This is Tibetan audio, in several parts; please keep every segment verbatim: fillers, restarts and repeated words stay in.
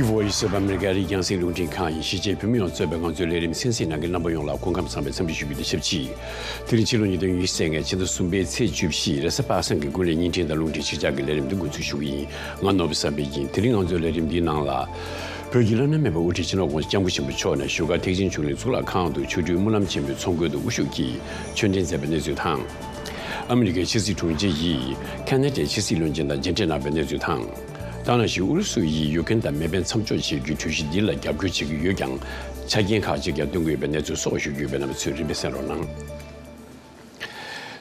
Voice of America རིགས་རྒྱང་སྲིང་རླུང་འཕྲིན་ཁང་ཡིན། གཞིས་བྱེས་བོད་མི་ཡོངས་གཙོས་པའི་ང་ཚོའི་ལས་རིམ་གསན་གཟིགས་གནང་མཁན་རྣམ་པ་ཡོངས་ལ་སྐུ་ཁམས་བཟང་བའི་འཚམས་འདྲི་ཞུ་རྒྱུ་དང་ཆབས་ཅིག་དེ་རིང་ཕྱི་ལོ་ཉིས་སྟོང་ཉི་ཤུ་རྩ་ལྔའི་ཕྱི་ཟླ་གསུམ་པའི་ཚེས་བཅུ་བཞི་རེས་གཟའ་པ་སངས་ཀྱི་དགུན་ལས་བརྙན་འཕྲིན་དང་རླུང་འཕྲིན་ཆིག་ཇག་གི་ལས་རིམ་འདི་འགོ་འཛུགས་ཞུ་གི་ཡིན། ང་ནོར་བུ་བསམ་འཕེལ་ཡིན། དེ་རིང་ང་ཚོའི་ལས་རིམ་འདིའི་ནང་ལ། བོད་ཀྱི་བླ་ན་མེད་པའི་དབུ་ཁྲིད་སྤྱི་ནོར་༸གོང་ས་༸སྐྱབས་མགོན་ཆེན་པོ་མཆོག་ནས་བཞུགས་སྒར་ཐེག་ཆེན་ཆོས་གླིང་གཙུག་ལག་ཁང་དུ་ཆོ་འཕྲུལ་སྨོན་ལམ་ཆེན་མོའི་ཚོགས་མགོན་དུ་དབུ་བཞུགས་ཀྱིས་ཆོས་འབྲེལ་མཛད་པའི་གནས་ཚུལ་དང་། ཨ་མི་རི་ཀའི་ཕྱི་སྲིད་དྲུང་ཆེ་ཡིས་ཁ་ན་ཌའི་ཕྱི་སྲིད་བློན་ཆེན་དང་མཇལ་འཕྲད་གནང་བའི་གནས་ཚུལ་དང་། ད་ག་ནང་བཞིན་ཨུ་རུ་སུ་ཡིས་ཡུཀ་རེན་དང་མེ་འཕེན་མཚམས་འཇོག་བྱེད་རྒྱུའི་གྲོས་གཞི་འདི་ལ་རྒྱབ་སྐྱོར་བྱེད་ཀྱི་ཡོད་ཀྱང་། ཆ་རྐྱེན་ཁག་ཅིག་ཀྱང་བཏོན་གྱི་ཡོད་པའི་གནས་ཚུལ་སོགས་ཞུ་རྒྱུ་ཡོད་པས་རྣམ་པ་ཚོས་རིམ་པས་གསན་རོགས་གནང་།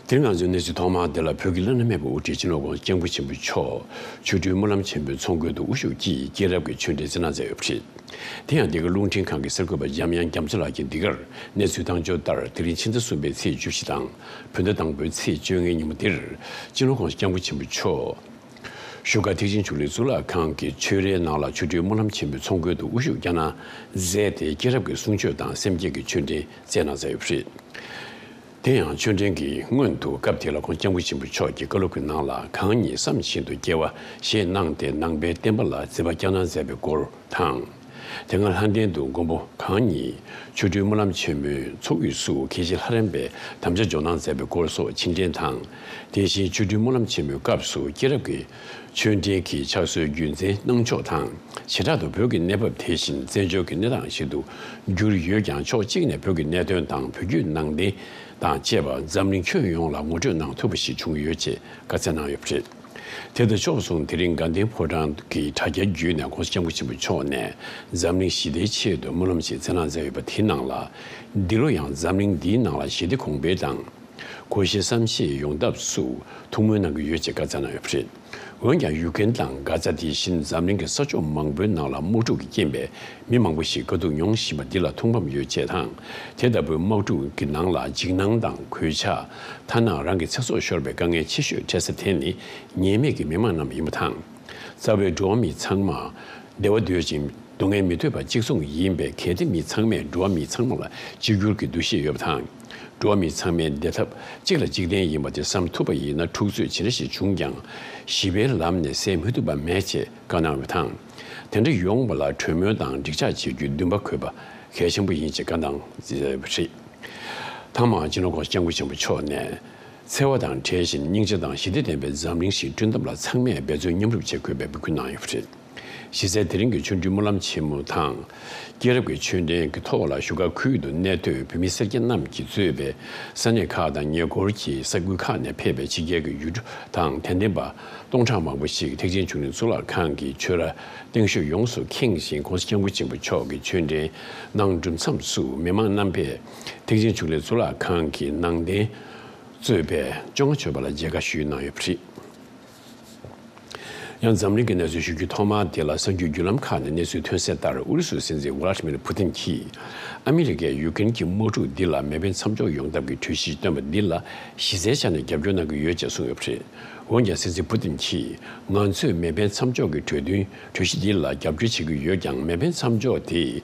དེ་རིང་ང་ཚོའི་གནས་ཚུལ་ཐོག་མར་དེ་ལ་བོད་ཀྱི་བླ་ན་མེད་པའི་དབུ་ཁྲིད་སྤྱི་ནོར་༸གོང་ས་༸སྐྱབས་མགོན་ཆེན་པོ་མཆོག་ཆོ་འཕྲུལ་སྨོན་ལམ་ཆེན་མོའི་ཚོགས་མགོན་དུ་དབུ་བཞུགས་ཀྱིས་སྐྱེས་རབས་ཀྱི་ཆོས་འབྲེལ་སྩལ་གནང་མཛད་ཡོད་པ་རེད། དེ་ཡང་འདི་ག་རླུང་འཕྲིན་ཁང་གི་གསར་འགོད་པ་འཇམ་དབྱངས་རྒྱ་མཚོ་ལགས་ཀྱིས་འདི་གར་གནས་ཚུལ་བཏང་འབྱོར་ལྟར། དེ་རིང་ཕྱི་ཟླ་གསུམ་པའི་ཚེས་བཅུ་བཞི་དང་། བོད་ཟླ་དང་པོའི་ཚེས་བཅོ་ལྔའི་ཉིན་མོ་འདིར། སྤྱི་ནོར་༸གོང་ས་༸སྐྱབས་མགོན་ཆེན་པོ་མཆོག་བཞུགས་སྒར་ཐེག་ཆེན་ཆོས་གླིང་གཙུག་ལག་ཁང་གི་ཆོས་རའི་ནང་ལ་ཆོ་འཕྲུལ་སྨོན་ལམ་ཆེན་མོའི་ཚོགས་མགོན་དུ་དབུ་བཞུགས་བསྐྱངས་གནང་མཛད་དེ། སྐྱེས་རབས་ཀྱི་གསུང་ཆོས་དང་སེམས་བསྐྱེད་ཀྱི་ཆོས་འབྲེལ་སྩལ་གནང་མཛད་ཡོད་པ་རེད། དེ་ཡང་ཆོས་འབྲེལ་གྱི་སྔོན་དུ་སྐབས་དེ་ལ་༸གོང་ས་༸སྐྱབས་མགོན་ཆེན་པོ་མཆོག་གིས་བཀའ་སློབ་ཀྱི་ནང་ལ། གང་ཉིད་བསམ་བཞིན་དུ་སྐྱེ་བ་ཞེས་གནང་སྟེ། ནང་པའི་བསྟན་པ་ལ་བརྩེ་བ་བསྐྱངས་གནང་མཛད་པའི་སྐོར་དང་། དེ་སྔ་ལྷ་ལྡན་དུ་མགོན་པོ་གང་ཉིད་ཆོ་འཕྲུལ་སྨོན་ལམ་ཆེན་མོའི་ཚོགས་དབུས་སུ་དགེ་བཤེས་ལྷ་རམས་པའི་དམ་བཅའ་འཇོག་གནང་མཛད་པའི་སྐོར་སོགས་ཕྱིར་དྲན་དང་། དེ་བཞིན་ཆོ་འཕྲུལ་སྨོན་ལམ་ཆེན་མོའི་སྐབས་སུ་སྐྱེས་རབས་ཀྱི་ཆོས་འབྲེལ་གྱི་ཕྱག་སྲོལ་རྒྱུན་འཛིན་གནང་ཕྱོགས་དང་། བྱེ་བྲག་ཏུ་བོད་ཀྱི་གནས་བབ་དེ་བཞིན་བཙན་བྱོལ་གྱི་གནས་སྟངས་ཤིག་ཏུ་གྱུར་ཡོད་ཀྱང་། ཕྱོགས་གཅིག་ནས་བོད་ཀྱི་གནད་དོན་དང་བོད་བརྒྱུད་ནང་བསྟན་དང་བཅས་པ་འཛམ་གླིང་ཁྱོན་ཡོངས་ལ་ངོ་སྤྲོད་གནང་ཐུབ་པ་ཞིག་བྱུང་ཡོད་ཅེས་བཀའ་སྩལ་གནང་ཡོད་པ་རེད། དེ་དང་ཕྱོགས་མཚུངས། དེ་རིང་དགའ་ལྡན་ཕོ་བྲང་གི་དྲ་རྒྱའི་བརྒྱུད་ནས་༸གོང་ས་༸སྐྱབས་མགོན་ཆེན་པོ་མཆོག་ནས་འཛམ་གླིང་ཞི་བདེའི་ཆེད་དུ་སྨོན་ལམ་ཞིག་སྩལ་གནང་མཛད་ཡོད་པ་དེའི་ནང་ལ། འདི་ལོ་ཡང་འཛམ་གླིང་འདིའི་ནང་ལ་ཞི་བདེ་གོང་འཕེལ་དང་། གོ་ཤེས་བསམ་ཤེས་ཡོང་ཐབས་སུ་ཐུགས་སྨོན་གནང་གི་ཡོད་ཅེས་བཀའ་སྩལ་གནང་ཡོད་པ་རེད། འོན་ཀྱང་ཡུཀ་རེན་དང་གྷ་ཛ་དེ་བཞིན་འཛམ་གླིང་གི་ས་ཕྱོགས་མང་པོའི་ནང་ལ་དམག་འཁྲུག་གི་རྐྱེན་པས་མི་མང་པོ་ཞིག་དཀའ་སྡུག་མྱོང་བཞིན་པ་འདི་ལ་ཐུགས་ཕམ་ཡོད་ཅེས་དང་། དེ་ལྟ་བུའི་དམག་འཁྲུག་གི་ནང་ལ་འཇིགས་སྣང་དང་གོད་ཆག་ཐ་ན་རང་གི་ཚེ་སྲོག་ཤོར་བའི་དཀའ་ངལ་ཆེ་ཤོས་འཕྲད་ས་དེ་ནི་ཉེས་མེད་ཀྱི་མི་མང་རྣམས་ཡིན་པ་དང་། རྩ་བའི་འགྲོ་བ་མི་ཚང་མ་བདེ་བ་འདོད་ཅིང་སྡུག་བསྔལ་མི་འདོད་པ་གཅིག་མཚུངས་ཡིན་པས། གལ་ཏེ་མི་ཚང་མས་འགྲོ་བ་མི་ཚང་མ་ལ་གཅིག་གྱུར་གྱི་འདུ་ཤེས་ཡོད་པ་དང་། འགྲོ་བ་མི་ཚང་མའི་བདེ་ཐབས་གཅིག་ལ་གཅིག་བརྟེན་ཡིན་པ་དེ་བསམ་ཐུབ་པ་ཡིན་ན། འཁྲུག་རྩོད་ཇི་འདྲ་ཞིག་བྱུང་ཀྱང་ཞི་བའི་ལམ་ནས་སེལ་མི་ཐུབ་པ་མེད་ཅེས་བཀའ་གནང་བ་དང་། དེ་འདྲ་ཡོང་བ་ལ་གྲོས་མོལ་དང་འགྲིག་འཇགས་བྱེད་རྒྱུའི་འདུན་པ་དགོས་པ་གལ་ཆེན་པོ་ཡིན་ཅེས་བཀའ་གནང་མཛད་ཡོད་པ་རེད། ཐ་མར་སྤྱི་ནོར་༸གོང་ས་༸སྐྱབས་མགོན་ཆེན་པོ་མཆོག་ནས། འཚེ་བ་དང་བྲལ་ཞིང་སྙིང་རྗེ་དང་ཞི་བདེ་ལྡན་པའི་འཛམ་གླིང་ཞིག་བསྐྲུན་ཐབས་ལ་ཚང་མས་འབད་བརྩོན་མཉམ་རུབ་བྱེད་དགོས་པའི་འབོད་སྐུལ་གནང་ཡོད་པ་རེད། གཞི་རྩའི་དེ་རིང་གི་ཆོ་འཕྲུལ་སྨོན་ལམ་ཆེན་མོ་དང་། སྐྱེས་རབས་ཀྱི་ཆོས་འབྲེལ་གྱི་ཐོག་ལ་བཞུགས་སྒར་ཁུལ་དུ་གནས་སྡོད་བོད་མི་སེར་སྐྱ་རྣམས་ཀྱིས་གཙོས་པའི་ས་གནས་ཁག་དང་ཉེ་འཁོར་གྱི་ས་ཁུལ་ཁག་ནས་ཕེབས་པའི་ཕྱི་རྒྱལ་གྱི་ཡུལ་གྲུ་དང་དད་ལྡན་པ་སྟོང་ཕྲག་མང་པོ་ཞིག་ཐེག་ཆེན་ཆོས་གླིང་གཙུག་ལག་ཁང་གི་ཆོས་ར་སྟེང་ཤོག་ཡོངས་སུ་ཁེངས་ཤིང་། ༸གོང་ས་༸སྐྱབས་མགོན་ཆེན་པོ་མཆོག་གི་ཆོས་འབྲེལ་གནང་གྲུབ་མཚམས་སུ། མི་མང་རྣམ་པས་ཐེག་ཆེན་ཆོས་གླིང་གཙུག་ལག་ཁང་གི་ནང་རྟེན་གཙོས་པའི་བཅོ་ལྔ་མཆོད་པ་ལ་མཇལ་ཁ་ཞུས་གནང་ཡོད་པ་རེད། ཡང་འཛམ་གླིང་གི་གནས་ཚུལ་ཞུ་རྒྱུའི་ཐོག་མར་དེ་ལ་གསར་འགྱུར་བརྒྱུད་ལམ་ཁག་ནས་གནས་ཚུལ་ཐོན་གསལ་ལྟར། ཨུ་རུ་སུའི་སྲིད་འཛིན་ཝ་ལ་ཏི་མིར་ཕུ་ཏིན་གྱིས་ཨ་མི་རི་ཀས་ཡུཀ་རེན་གྱི་དམག་འཁྲུག་འདི་ལ་མེ་འཕེན་མཚམས་འཇོག་ཡོང་ཐབས་ཀྱི་གྲོས་གཞི་བཏོན་པ་འདི་ལ་གཞི་རྩའི་ཆ་ནས་རྒྱབ་སྐྱོར་གནང་གི་ཡོད་ཅེས་གསུངས་ཡོད་པ་རེད། འོན་ཀྱང་སྲིད་འཛིན་ཕུ་ཏིན་གྱིས། ང་ཚོས་མེ་འཕེན་མཚམས་འཇོག་གི་གྲོས་མཐུན་གྲོས་གཞི་འདི་ལ་རྒྱབ་སྐྱོར་བྱེད་ཀྱི་ཡོད་ཀྱང་། མེ་འཕེན་མཚམས་འཇོག་དེ་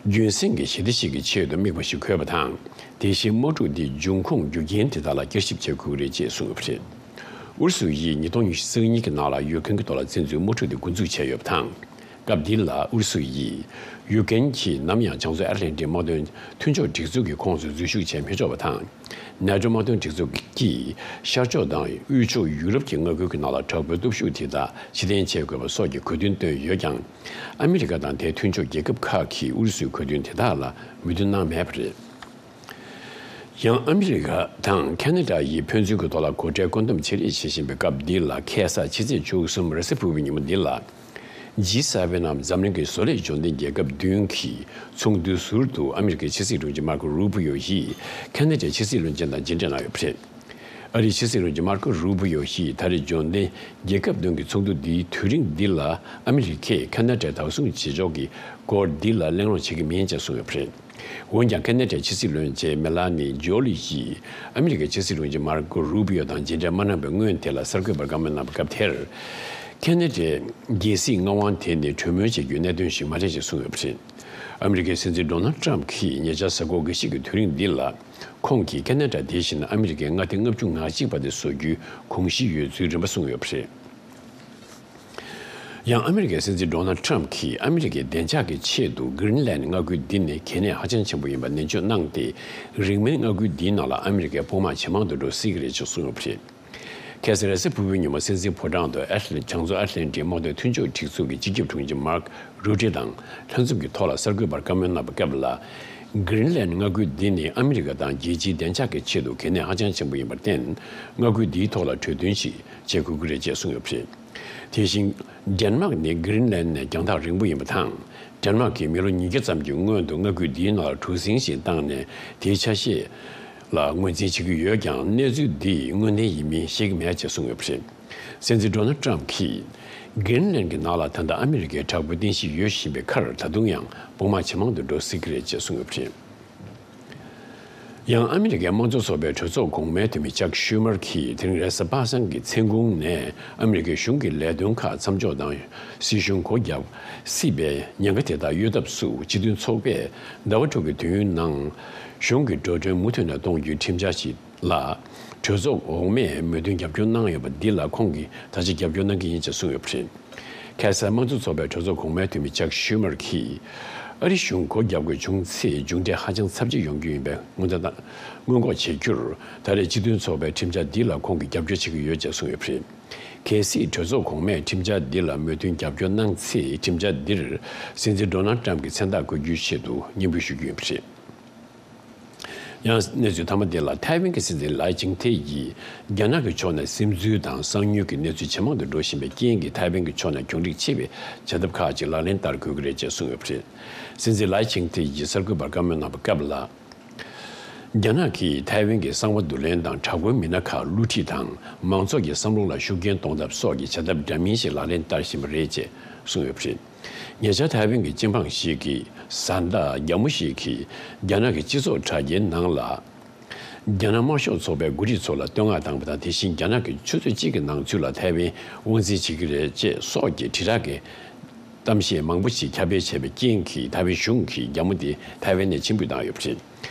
རྒྱུན་སྲིང་གི་ཞི་བདེ་ཞིག་གི་ཆེད་དུ་དམིགས་པ་ཞིག་དགོས་པ་དང་། དེ་བཞིན་དམག་འཁྲུག་འདིའི་འབྱུང་ཁུངས་རྒྱུ་རྐྱེན་དེ་དག་ལ་བསྐྱར་ཞིབ་བྱེད་དགོས་ཀྱི་རེད་ཅེས་གསུངས་ཡོད་པ་རེད། ཨུ་རུ་སུ་ཡིས་ཉིས་སྟོང་ཉི་ཤུ་རྩ་གཉིས་ཀྱི་ནང་ལ་ཡུཀ་རེན་གྱི་ཐོག་ལ་བཙན་འཛུལ་དམག་འཁྲུག་དེ་འགོ་འཛུགས་བྱས་ཡོད་པ་དང་། སྐབས་འདི་ལ་ཨུ་རུ་སུ་ཡིས་ཡུཀ་རེན་གྱིས་ནམ་ཡང་བྱང་མཚོ་ཨེཊ་ལན་ཊིག་དམག་དོན་མཐུན་ཕྱོགས་སྒྲིག་འཛུགས་ཀྱི་ཁོངས་སུ་འཛུལ་ཞུགས་བྱས་མི་ཆོག་པ་དང་། ནེ་ཊོ་དམག་དོན་སྒྲིག་འཛུགས་ཀྱིས་ཤར་ཕྱོགས་དང་དབུས་ཕྱོགས་ཡུ་རོབ་ཀྱི་མངའ་ཁུལ་གྱི་ནང་ལ་དྲག་པོའི་སྟོབས་ཤུགས་དེ་དག་ཕྱིར་འཐེན་བྱེད་དགོས་པ་སོགས་ཀྱི་དགོས་འདུན་བཏོན་ཡོད་ཀྱང་། ཨ་མི་རི་ཀ་དང་དེའི་མཐུན་ཕྱོགས་རྒྱལ་ཁབ་ཁག་གིས་ཨུ་རུ་སུའི་དགོས་འདུན་དེ་དག་ལ་མོས་མཐུན་གནང་མེད་པ་རེད། ཡང་ཨ་མི་རི་ཀ་དང་ཁ་ན་ཌ་ཡིས་ཕན་ཚུན་གྱི་ཐོག་ལ་སྒོ་ཁྲལ་བཀོད་འདོམས་བྱེད་རེས་བྱེད་བཞིན་པའི་སྐབས་འདི་ལ། ཁ་སང་ཕྱི་ཚེས་བཅུ་གསུམ་རེས་གཟའ་ཕུར་བུའི་ཉིན་མོ་འདི་ལ། ཇི་སེ་ཝེན་ནམ་འཛམ་གླིང་གི་བཟོ་ལས་འབྱོར་ལྡན་རྒྱལ་ཁབ་བདུན་གྱི་ཚོགས་འདུའི་ཟུར་དུ་ཨ་མི་རི་ཀའི་ཕྱི་སྲིད་དྲུང་ཆེ་མར་ཀོ་རུ་པི་ཡོ་ཡིས་ཁ་ན་ཌའི་ཕྱི་སྲིད་བློན་ཆེན་དང་མཇལ་འཕྲད་གནང་ཡོད་པ་རེད། ཨ་རིའི་ཕྱི་སྲིད་བློན་ཆེན་མར་ཀོ་རུ་པི་ཡོ་ཡིས་ད་རེས་འབྱོར་ལྡན་རྒྱལ་ཁབ་བདུན་གྱི་ཚོགས་འདུ་འདིའི་དུས་རིང་འདི་ལ་ཨ་མི་རི་ཀས་ཁ་ན་ཌའི་བདག་བཟུང་བྱེད་ཕྱོགས་ཀྱི་སྐོར་འདི་ལ་གླེང་སློང་བྱེད་ཀྱི་མིན་ཅེས་གསུངས་ཡོད་པ་རེད། འོན་ཀྱང་ཁ་ན་ཌའི་ཕྱི་སྲིད་བློན་ཆེན་མེ་ལ་ནི་ཇོ་ལི་ཡིས་ཨ་མི་རི་ཀའི་ཕྱི་སྲིད་བློན་ཆེན་མར་ཀོ་རུ་པི་ཡོ་དང་མཇལ་འཕྲད་མ་གནང་བའི་སྔོན་དེ་ལ་གསར་འགོད་པར་བཀའ་མོལ་གནང་བའི་སྐབས་དེར། ཁ་ན་ཌའི་རྒྱལ་སྲིད་མངའ་དབང་དེ་ནི་གྲོས་མོལ་བྱེད་རྒྱུའི་གནད་དོན་ཞིག་མ་རེད་ཅེས་གསུངས་ཡོད་པ་རེད། ཨ་མི་རི་ཀའི་སྲིད་འཛིན་ཌོ་ནལ་ཊམ་གྱིས་ཉེ་ཆར་གཟའ་འཁོར་འགའ་ཤས་ཀྱི་དུས་རིང་འདི་ལ། ཁོང་གིས་ཁ་ན་ཌ་དེ་བཞིན་ཨ་མི་རི་ཀའི་མངའ་སྡེ་ལྔ་བཅུ་ང་གཅིག་པ་དེ་བཟོ་རྒྱུའི་དགོངས་གཞི་ཡོད་ཚུལ་རིམ་པ་གསུངས་ཡོད་པ་རེད། ཡང་ཨ་མི་རི་ཀའི་སྲིད་འཛིན་ཌོ་ནལ་ཊམ་གྱིས་ཨ་མི་རི་ཀའི་བདེ་འཇགས་ཀྱི་ཆེད་དུ་གྷི་རིན་ལན་མངའ་ཁུལ་འདི་ནི་གལ་གནད་ཧ་ཅང་ཆེན་པོ་ཡིན་པ་ནན་བརྗོད་གནང་སྟེ། རིང་མིན་མངའ་ཁུལ་འདིའི་ནང་ལ་ཨ་མི་རི་ཀའི་དཔུང་དམག་ཇེ་མང་དུ་འགྲོ་སྲིད་ཀྱི་རེད་ཅེས་གསུངས་ཡོད་པ་རེད། ཁ་སང་རེས་གཟའ་ཕུར་བུའི་ཉིན་མོ་སྲིད་འཛིན་ཕོ་བྲང་དུ་ཨེཊ་ལན་བྱང་མཚོ་ཨེཊ་ལན་ཊིག་དམག་དོན་མཐུན་ཕྱོགས་སྒྲིག་འཛུགས་ཀྱི་སྤྱི་ཁྱབ་དྲུང་ཆེ་མཱརྐ་རུ་ཏེ་དང་ལྷན་འཛོམས་ཀྱི་ཐོག་ལ་གསར་འགོད་པར་བཀའ་མོལ་གནང་བའི་སྐབས་ལ། གྷི་རིན་ལན་མངའ་ཁུལ་འདི་ནི་ཨ་མི་རི་ཀ་དང་རྒྱལ་སྤྱིའི་བདེ་འཇགས་ཀྱི་ཆེད་དུ་གལ་གནད་ཧ་ཅང་ཆེན་པོ་ཡིན་པར་བརྟེན། མངའ་ཁུལ་འདིའི་ཐོག་ལ་གྲོས་མཐུན་ཞིག་བྱེད་དགོས་ཀྱི་རེད་ཅེས་གསུངས་ཡོད་པ་རེད། དེ་བཞིན། ཌེན་མཱག་ནི་གྷི་རིན་ལན་ནས་རྒྱང་ཐག་རིང་པོ་ཡིན་པ་དང་། ཌེན་མཱག་གིས་མི་ལོ་ཉིས་བརྒྱ་ཙམ་གྱི་སྔོན་དུ་མངའ་ཁུལ་འདིའི་ནང་ལ་གྲུ་གཟིངས་ཤིག་བཏང་ནས་དེའི་ཆ་ཤས་ལ་ངོས་འཛིན་བྱེད་ཀྱི་ཡོད་ཀྱང་། གནས་ཚུལ་འདི་དངོས་བདེན་ཡིན་མིན་ཤེས་ཀྱི་མེད་ཅེས་གསུངས་ཡོད་པ་རེད། སྲིད་འཛིན་ཌོ་ནལ་ཊམ་གྱིས། གྷི་རིན་ལན་གྱི་ནང་ལ་ད་ལྟ་ཨ་མི་རི་ཀའི་དྲག་པོའི་རྟེན་གཞི་ཡོད་བཞིན་པའི་ཁར། ད་དུང་ཡང་དཔུང་དམག་ཇེ་མང་དུ་འགྲོ་སྲིད་ཀྱི་རེད་ཅེས་གསུངས་ཡོད་པ་རེད། ཡང་ཨ་མི་རི་ཀའི་དམངས་གཙོ་ཚོགས་པའི་གྲོས་ཚོགས་གོང་མའི་འཐུས་མི་ཅག་ཤུ་མར་གྱིས་དེ་རིང་རེས་གཟའ་པ་སངས་ཀྱི་མཚན་གུང་ནས་ཨ་མི་རི་ཀའི་གཞུང་གི་ལས་དོན་ཁག་མཚམས་འཇོག་དང་སྲིད་གཞུང་སྒོ་བརྒྱབ་སྲིད་པའི་ཉེན་ཁ་དེ་དག་གཡོལ་ཐབས་སུ། སྤྱི་མཐུན་ཚོགས་པས་ཟླ་བ་དྲུག་གི་དུས་ཡུན་ནང་གཞུང་གི་འགྲོ་གྲོན་མུ་མཐུད་ནས་གཏོང་རྒྱུའི་ཁྲིམས་འཆར་ཞིག་ལ་གྲོས་ཚོགས་འོག་མས་མོས་མཐུན་རྒྱབ་སྐྱོར་གནང་ཡོད་པ་འདི་ལ་ཁོང་གིས་ད་ཆ་རྒྱབ་སྐྱོར་གནང་གི་ཡིན་ཅེས་གསུངས་ཡོད་པ་རེད། ཁ་སང་དམངས་གཙོ་ཚོགས་པའི་གྲོས་ཚོགས་གོང་མའི་འཐུས་མི་ཅག་ཤུ་མར་གྱིས། ཨ་རི་གཞུང་སྒོ་རྒྱག་དགོས་བྱུང་ཚེ་མཇུག་འབྲས་ཧ་ཅང་ཚབས་ཆེ་ཡོང་རྒྱུ་ཡིན་པའི་སྔོན་བརྡ་དང་སྔོན་འགོག་བྱེད་རྒྱུར། ད་རེས་སྤྱི་མཐུན་ཚོགས་པའི་ཁྲིམས་འཆར་འདི་ལ་ཁོང་གིས་རྒྱབ་སྐྱོར་བྱེད་ཀྱི་ཡོད་ཅེས་གསུངས་ཡོད་པ་རེད། གལ་སྲིད་གྲོས་ཚོགས་གོང་མས་ཁྲིམས་འཆར་འདི་ལ་མོས་མཐུན་རྒྱབ་སྐྱོར་གནང་ཚེ། ཁྲིམས་འཆར་འདིར་སྲིད་འཛིན་ཌོ་ནལ་ཊམ་གྱི་མཚན་རྟགས་འཁོད་རྒྱུའི་ཆེད་དུ་སྙན་འབུལ་ཞུ་རྒྱུ་ཡིན་པ་རེད། ཡང་གནས་ཚུལ་མཐའ་མ་དེ་ལ། ཐའེ་ཝན་གྱི་སྲིད་འཛིན་ལའེ་ཆིང་ཐེ་ཡིས་རྒྱ་ནག་གི་ཕྱོགས་ནས་སིམ་འཛུལ་དང་གསང་ཉུལ་གྱི་གནས་ཚུལ་ཇེ་མང་དུ་འགྲོ་བཞིན་པའི་རྐྱེན་གྱིས། ཐའེ་ཝན་གྱི་ཕྱོགས་ནས་གྱོང་རིག་ཆེ་བའི་བྱ་ཐབས་ཁག་ཅིག་ལག་ལེན་བསྟར་དགོས་ཀྱི་རེད་ཅེས་གསུངས་ཡོད་པ་རེད། སྲིད་འཛིན་ལའེ་ཆིང་ཐེ་ཡིས་གསར་འགོད་པར་བཀའ་མོལ་གནང་བའི་སྐབས་ལ། རྒྱ་ནག་གིས་ཐའེ་ཝན་གྱི་གསང་བ་བསྡུ་ལེན་དང་། དྲག་པོའི་མི་སྣ་ཁག་བསླུ་ཁྲིད་དང་། མང་ཚོགས་ཀྱི་བསམ་བློ་ལ་ཤུགས་རྐྱེན་གཏོང་ཐབས་སོགས་ཀྱི་བྱ་ཐབས་འདྲ་མིན་ཞིག་ལག་ལེན་བསྟར་བཞིན་པ་རེད་ཅེས་གསུངས་ཡོད་པ་རེད། ཉེ་ཆར་ཐའེ་ཝན་གྱི་སྤྱི་འབངས་ཤིག་གིས། བཟའ་ཟླ་རྒྱ་མོ་ཞིག་གིས་རྒྱ་ནག་གི་སྤྱི་ཚོགས་དྲ་རྒྱའི་ནང་ལ། རྒྱ་ནག་དམར་ཤོག་ཚོགས་པའི་འགོ་ཁྲིད་ཚོ་ལ་བསྟོད་བསྔགས་བཏང་བ་དང་། དེ་བཞིན་རྒྱ་ནག་གིས་ཆུ་ཚོད་གཅིག་གི་ནང་ཚུད་ལ་ཐའེ་ཝན་དབང་འཛིན་བྱེད་ཀྱི་རེད་ཅེས་སོགས་ཀྱི་དྲིལ་བསྒྲགས་ཀྱི་གཏམ་བཤད་མང་པོ་ཞིག་ཁྱབ་སྤེལ་བྱས་པའི་རྐྱེན་གྱིས། ཐའེ་ཝན་གཞུང་གིས་རྒྱ་མོ་དེ་ཐའེ་ཝན་ནས་ཕྱིར་འབུད་བཏང་ཡོད་པ་རེད།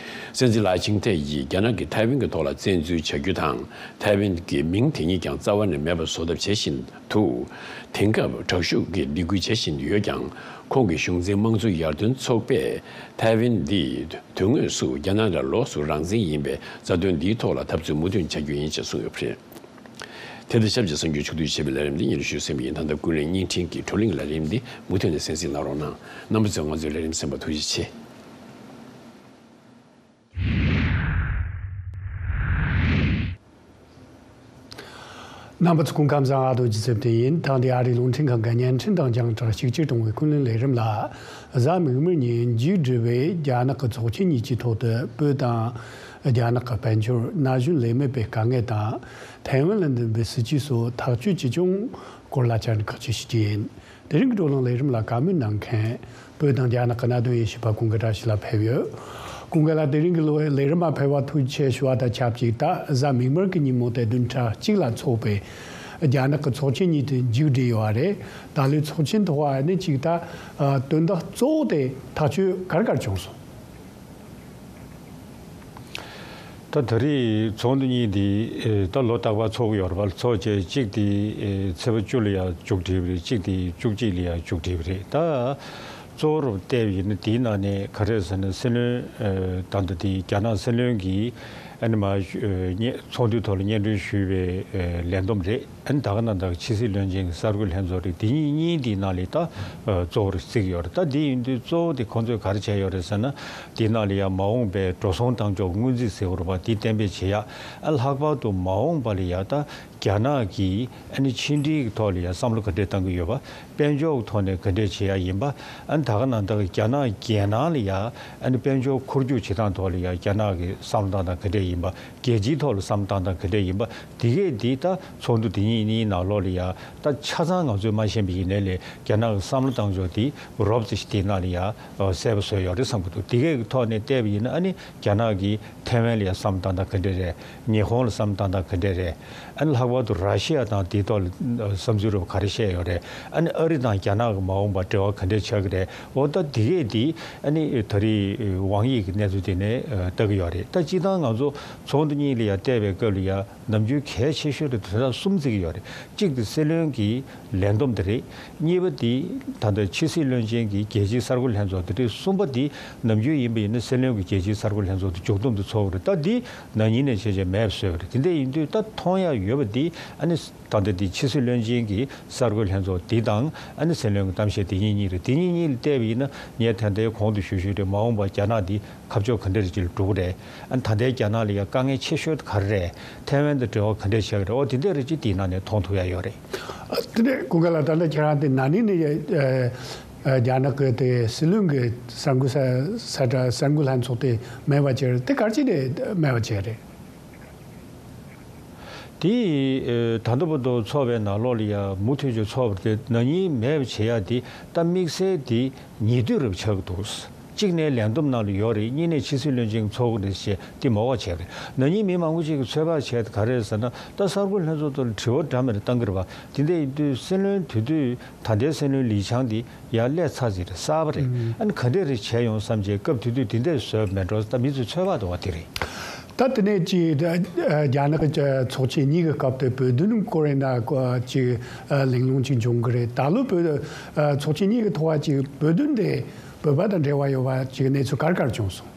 སྲིད་འཛིན་ལའེ་ཆིང་ཐེ་ཡིས་རྒྱ་ནག་གིས་ཐའེ་ཝན་གྱི་ཐོག་ལ་བཙན་འཛུལ་བྱ་རྒྱུ་དང་། ཐའེ་ཝན་གྱི་མིང་དེ་ཉིད་ཀྱང་རྩ་བ་ནས་མེད་པར་བཟོ་ཐབས་བྱེད་བཞིན་འདུག་དེང་སྐབས་དྲག་ཤུགས་ཀྱིས་སྡིགས་སྐུལ་བྱེད་བཞིན་ཡོད་ཀྱང་། ཁོང་གི་གཞུང་འཛིན་དམངས་གཙོ་ཡར་ཐོན་ཚོགས་པས་ཐའེ་ཝན་འདི་དོན་དངོས་སུ་རྒྱ་ནག་ལ་ལོགས་སུ་རང་བཙན་ཡིན་པའི་རྩ་དོན་འདིའི་ཐོག་ལ་འཐབ་རྩོད་མུ་མཐུད་བྱ་རྒྱུ་ཡིན་ཞེས་གསུངས་ཡོད་པ་རེད། དེ་དང་ཆབས་ཅིག་གསར་འགྱུར་ཕྱོགས་བསྡུས་བྱས་པའི་ལས་རིམ་འདི་སྙན་སྒྲོན་ཞུས་ཟིན་པ་ཡིན། ད་ལྟ་ཀུན་གླེང་བརྙན་འཕྲིན་གྱི་བགྲོ་གླེང་ལས་རིམ་འདི་མུ་མཐུད་ནས་གསན་གཟིགས་གནང་རོགས་གནང་། རྣམ་པ་ཚོས་ང་ཚོའི་ལས་རིམ་གསན་པར་ཐུགས་རྗེ་ཆེ། རྣམ་པ་ཚོ་སྐུ་ཁམས་བཟང་། ཨ་རྡོ་རྗེ་ཚེ་བརྟན་ཡིན། ཐེངས་འདིའི་ཨ་རིའི་རླུང་འཕྲིན་ཁང་གི་བརྙན་འཕྲིན་དང་རྒྱང་བསྒྲགས་གཅིག་གྱུར་གཏོང་བའི་ཀུན་གླེང་ལས་རིམ་ལ། གཟའ་མིག་དམར་ཉིན་མཇུག་སྒྲིལ་བའི་རྒྱ་ནག་གི་ཚོགས་ཆེན་གཉིས་ཀྱི་ཐོག་ཏུ་བོད་དང་རྒྱ་ནག་གི་དཔལ་འབྱོར། ན་གཞོན་ལས་མེད་པའི་དཀའ་ངལ་དང་། ཐའེ་ཝན་ལ་འདིམ་པའི་སྲིད་ཇུས་སོགས་ཐག་གཅོད་བྱེད་ཕྱོགས་སྐོར་ལ་བཅར་འདྲི་ཁག་ཅིག་ཞུ་རྒྱུ་ཡིན། དེ་རིང་གི་བགྲོ་གླེང་ལས་རིམ་ལ་བཀའ་མོལ་གནང་མཁན། བོད་དང་རྒྱ་ནག་གི་གནད་དོན་དབྱེ་ཞིབ་པ་ཀུན་དགའ་བཀྲ་ཤིས་ལགས་ཕེབས་ཡོད། ཀུན་དགའ་ལགས། དེ་རིང་གི་ལོ་ལས་རིམ་མ་ཕེབས་པར་ཐུགས་རྗེ་ཆེ་ཞུ་བ་དང་ཆབས་ཅིག་ད་གཟའ་མིག་དམར་གྱི་ཉིན་མོ་དེ་བདུན་ཕྲག་གཅིག་ལ་འཚོགས་པའི་རྒྱ་ནག་གི་ཚོགས་ཆེན་གཉིས་དེ་མཇུག་བསྒྲིལ་ཡོད་པ་རེད། ད་ལོའི་ཚོགས་ཆེན་ཐོག་ཨ་ནི་ཅིག་ད་དོན་དག་གཙོ་བོ་དེ་ཐག་གཅོད་ག་རེ་ག་རེ་བྱུང་སོང་། ད་ད་རེས་ཚོགས་འདུ་གཉིས་འདི་ད་ལོ་རྟག་པར་ཚོགས་ཀྱི་ཡོད་རེད་པ། ཚོགས་བྱས་གཅིག་དེ་ཚེས་པ་བཅུ་ལ་ཡང་མཇུག་སྒྲིལ་བ་རེད། གཅིག་དེ་བཅུ་གཅིག་ལ་ཡང་མཇུག་སྒྲིལ་བ་རེད། ད་གཙོ་བོར་བལྟས་པ་ཡིན་ན་དེའི་ནང་ནས་ག་རེ་ཟེར་ན། སྲིད་བློན་ད་ལྟ་དེ་རྒྱ་ནག་སྲིད་བློན་གྱིས་ཨ་ནི་མ་ཚོགས་འདུའི་ཐོག་ལ་སྙན་སྒྲོན་ཞུས་པའི་ལས་བསྡོམས་རེད། ཨ་ནི་ད་ག་ནང་བཞིན་ཕྱི་སྲིད་བློན་ཆེན་གྱི་གསར་འགོད་ལྷན་ཚོགས་རེད། དེ་གཉིས་གཉིས་དེའི་ནང་ལས་ད་གཙོ་བོར་བརྩི་གི་ཡོད་རེད། ད་དེ་ཡིན་དུས་གཙོ་བོ་དེ་ཁོང་ཚོས་ག་རེ་བྱས་ཡོད་རེད་ཟེར་ན། དེའི་ནང་ལ་ཡང་མ་འོངས་པའི་འགྲོ་སོང་གཏང་ཕྱོགས་སྔོན་རྩིས་ཟེར་བ་རེད་པ། དེ་གཏན་འབེབས་བྱེད་ཡ། ཨ་ལྷག་པར་དུ་མ་འོངས་པ་ལ་ཡ་ད་རྒྱ་ནག་གིས་ཨ་ནི་ཕྱི་འབྲེལ་གྱི་ཐོག་ལ་ཡ་བསམ་བློ་ག་འདྲས་གཏང་གི་ཡོད་པ། དཔལ་འབྱོར་གྱི་ཐོག་ནས་ག་འདྲས་བྱེད་ཡ་ཡིན་པ། ཨ་ནི་ད་ག་ནང་བཞིན་རྒྱ་ནག་རྒྱལ་ནང་ལ་ཡ་ཨ་ནི་དཔལ་འབྱོར་འཁོར་རྒྱུག་བྱེད་སྟངས་ཐོག་ལ་ཡ་རྒྱ་ནག་གི་བསམ་བློ་གཏོང་སྟངས་ག་འདྲས་ཡིན་པ། རྒྱལ་སྤྱིའི་ཐོག་ལ་བསམ་བློ་གཏོང་སྟངས་ག་འདྲས་ཡིན་པ། དེ་གས་འདི་ད་ཚོགས་འདུ་དེ་གཉིས་གཉིས་ནང་ལོགས་ལ་ཡ་ད་ཆ་ཚང་ང་ཚོས་མ་ཤེས་པ་ཡིན་ནའི་ལས་རྒྱ་ནག་གི་བསམ་བློ་གཏང་ཕྱོགས་དེ་རོབ་ཙམ་ཞིག་དེའི་ནང་ལ་ཡ་གསལ་པོ་བཟོས་ཡོད་རེད་བསམ་གྱི་འདུག་དེ་གས་ཀྱི་ཐོག་ནས་བལྟས་པ་ཡིན་ན། ཨ་ནི་རྒྱ་ནག་གིས་ཐའེ་ཝན་ལ་ཡ་བསམ་བློ་གཏང་སྟངས་ག་འདྲས་རེད། ཉི་ཧོང་ལ་བསམ་བློ་གཏང་སྟངས་ག་འདྲས་རེད། ཨ་ནི་ལྷག་པར་དུ་ར་ཤི་ཡ་དང་དེའི་ཐོག་ལ་བསམ་ཚུལ་རོབ་ག་རེ་བཤད་ཡོད་རེད། ཨ་ནི་ཨ་རི་དང་རྒྱ་ནག་གི་མ་འོངས་པར་འབྲེལ་བ་ག་འདྲས་ཆགས་ཀྱི་རེད། འོ་ད་དེ་གས་དེ་ཨ་ནི་ད་རེས་དབང་ཡིག་གི་གནས་ཚུལ་དེ་ནས་ལྟ་གི་ཡོད་རེད། ད་སྤྱིར་བཏང་ང་ཚོ་ ཚོགས་འདུ་གཉིས་ལ་ཡང་བལྟས་པའི་སྐབས་ལ་ཡང་ནམ་རྒྱུན་གལ་ཆེ་ཤོས་དེ་དོན་དག་གསུམ་བརྩི་གི་ཡོད་རེད། གཅིག་དེ་སྲིད་བློན་གྱི་ལས་བསྡོམས་དེ་རེད། གཉིས་པ་དེ་ད་ལྟ་ཕྱི་སྲིད་བློན་ཆེན་གྱི་རྒྱལ་སྤྱིའི་གསར་འགོད་ལྷན་ཚོགས་དེ་རེད། གསུམ་པ་དེ་ནམ་རྒྱུན་ཡིན་པ་ཡིན་ན་སྲིད་བློན་གྱི་རྒྱལ་སྤྱིའི་གསར་འགོད་ལྷན་ཚོགས་དེ་མཇུག་བསྡོམས་དེ་ཚོགས་ཀྱི་རེད། ད་དེ་ན་ནིང་ནས་བྱས་བྱས་མེད་པ་བཟོས་པ་རེད། དེ་འདྲ་ཡིན་དུས་ད་མཐོང་ཡག་ཡོད་པ་དེ་ཨ་ནི་ད་ལྟ་དེ་ཕྱི་སྲིད་བློན་ཆེན་གྱི་གསར་འགོད་ལྷན་ཚོགས་དེ་དང་ཨ་ནི་སྲིད་བློན་གྱི་གཏམ་བཤད་དེ་གཉིས་གཉིས་རེད། དེ་གཉིས་གཉིས་ལ་བལྟས་པ་ཡིན་ན་ངས་ད་ལྟའི་གོང་དུ་ཞུ་ཞུས་རེད། མ་འོངས་པར་རྒྱ་ནག་འདི་ཁ་ཕྱོགས་ག་འདྲ་རེ་ཅིག་ལ་འགྲོ་གི་རེད། ཨ་ནི་ད་ལྟའི་རྒྱ་ནག་ལ་ཡང་དཀའ་ངལ་ཆེ་ཤོས་དེ་ག་རེ་རེད། ཐའེ་ཝན་དང་འབྲེལ་བ་ག་འདྲ་བྱེད་ཀྱི་རེད། འོ་དེ་འདྲ་རེ་ཅིག་དེའི་ནང་ནས་མཐོང་ཐུབ་ཡ་ཡོད་རེད། ཨ་དེ་ནས་ཀུན་དགའ་ལགས། ད་ལྟ་ཁྱེད་རང་དེ་ན་ནིང་ནས་ཨ་ཨ་རྒྱ་ནག་གི་དེ་སྲིད་བློན་གྱི་གསར་འགོད་ས་ས་གྲ་གསར་འགོད་ལྷན་ཚོགས་དེ་མེད་པ་བྱས་རེད། དེ་ག་རེ་བྱས་ནས་མེད་པ་བྱས་རེད། དེ་ཨ་ད་ལྟ་བར་དུ་ཚོགས་པའི་ནང་ལོགས་ལ་ཡང་མུ་མཐུད་ཀྱི་ཚོགས་པ་དེ་ན་ནིང་མེད་པ་བྱེད་ཡ་དེ་ད་དམིགས་བསལ་དེ་ཉེ་དུས་རབས་ཆགས་ཀྱི་འདུག་གཅིག་ནས་ལས་བསྡོམས་ནང་ལ་ཡོད་རེད། གཉིས་ནས་ཕྱི་སྲིད་བློན་ཆེན་གྱི་ཚོགས་འདུ་རེད་ཞེས་དེ་མ་འོག་བྱས་པ་རེད། ན་ནིང་མི་མང་པོ་ཅིག་གིས་ཚོད་དཔག་བྱས་ཏེ་ག་རེ་རེད་ཟེར་ན། ད་གསར་འགོད་ལྷན་ཚོགས་ཐོག་ལ་དྲི་བ་འདྲ་མི་འདྲ་བཏང་གི་རེད་པ། དེ་འདྲ་ཡིན་དུས་སྲིད་བློན་དེ་དུས་ད་ལྟའི་སྲིད་བློན་ལི་ཆང་དེ་ཡར་སླེབས་ཚར་ཟིན་རེད། གསར་པ་རེད། ཨ་ནི་ག་འདྲ་རེ་བྱས་ཡོང་བསམ་བྱས་སྐབས་དེ་དུས་དེ་འདྲ་བཟོས་པ་མེད་འགྲོ། ད་མི་ཚོས་ཚོད་དཔག་འདུག་པ་དེ་རེད། ད་དེ་ནས་ཅིག་ཨ་རྒྱ་ནག་གི་ཚོགས་ཆེན་གཉིས་ཀྱི་སྐབས་དེ་བོད་དོན་སྐོར་ཡིན་ན་ཅིག་ཨ་གླེང་སློང་ཅིག་འབྱུང་གི་རེད། ད་ལོ་བོད་ཨ་ཚོགས་ཆེན་གཉིས་ཀྱི་ཐོག་ཅིག་བོད་དོན་དེ་བོད་པ་དང་འབྲེལ་བ་ཡོད་པ་ཅིག་གནས་ཚུལ་ག་རེ་ག་རེ་བྱུང་སོང་།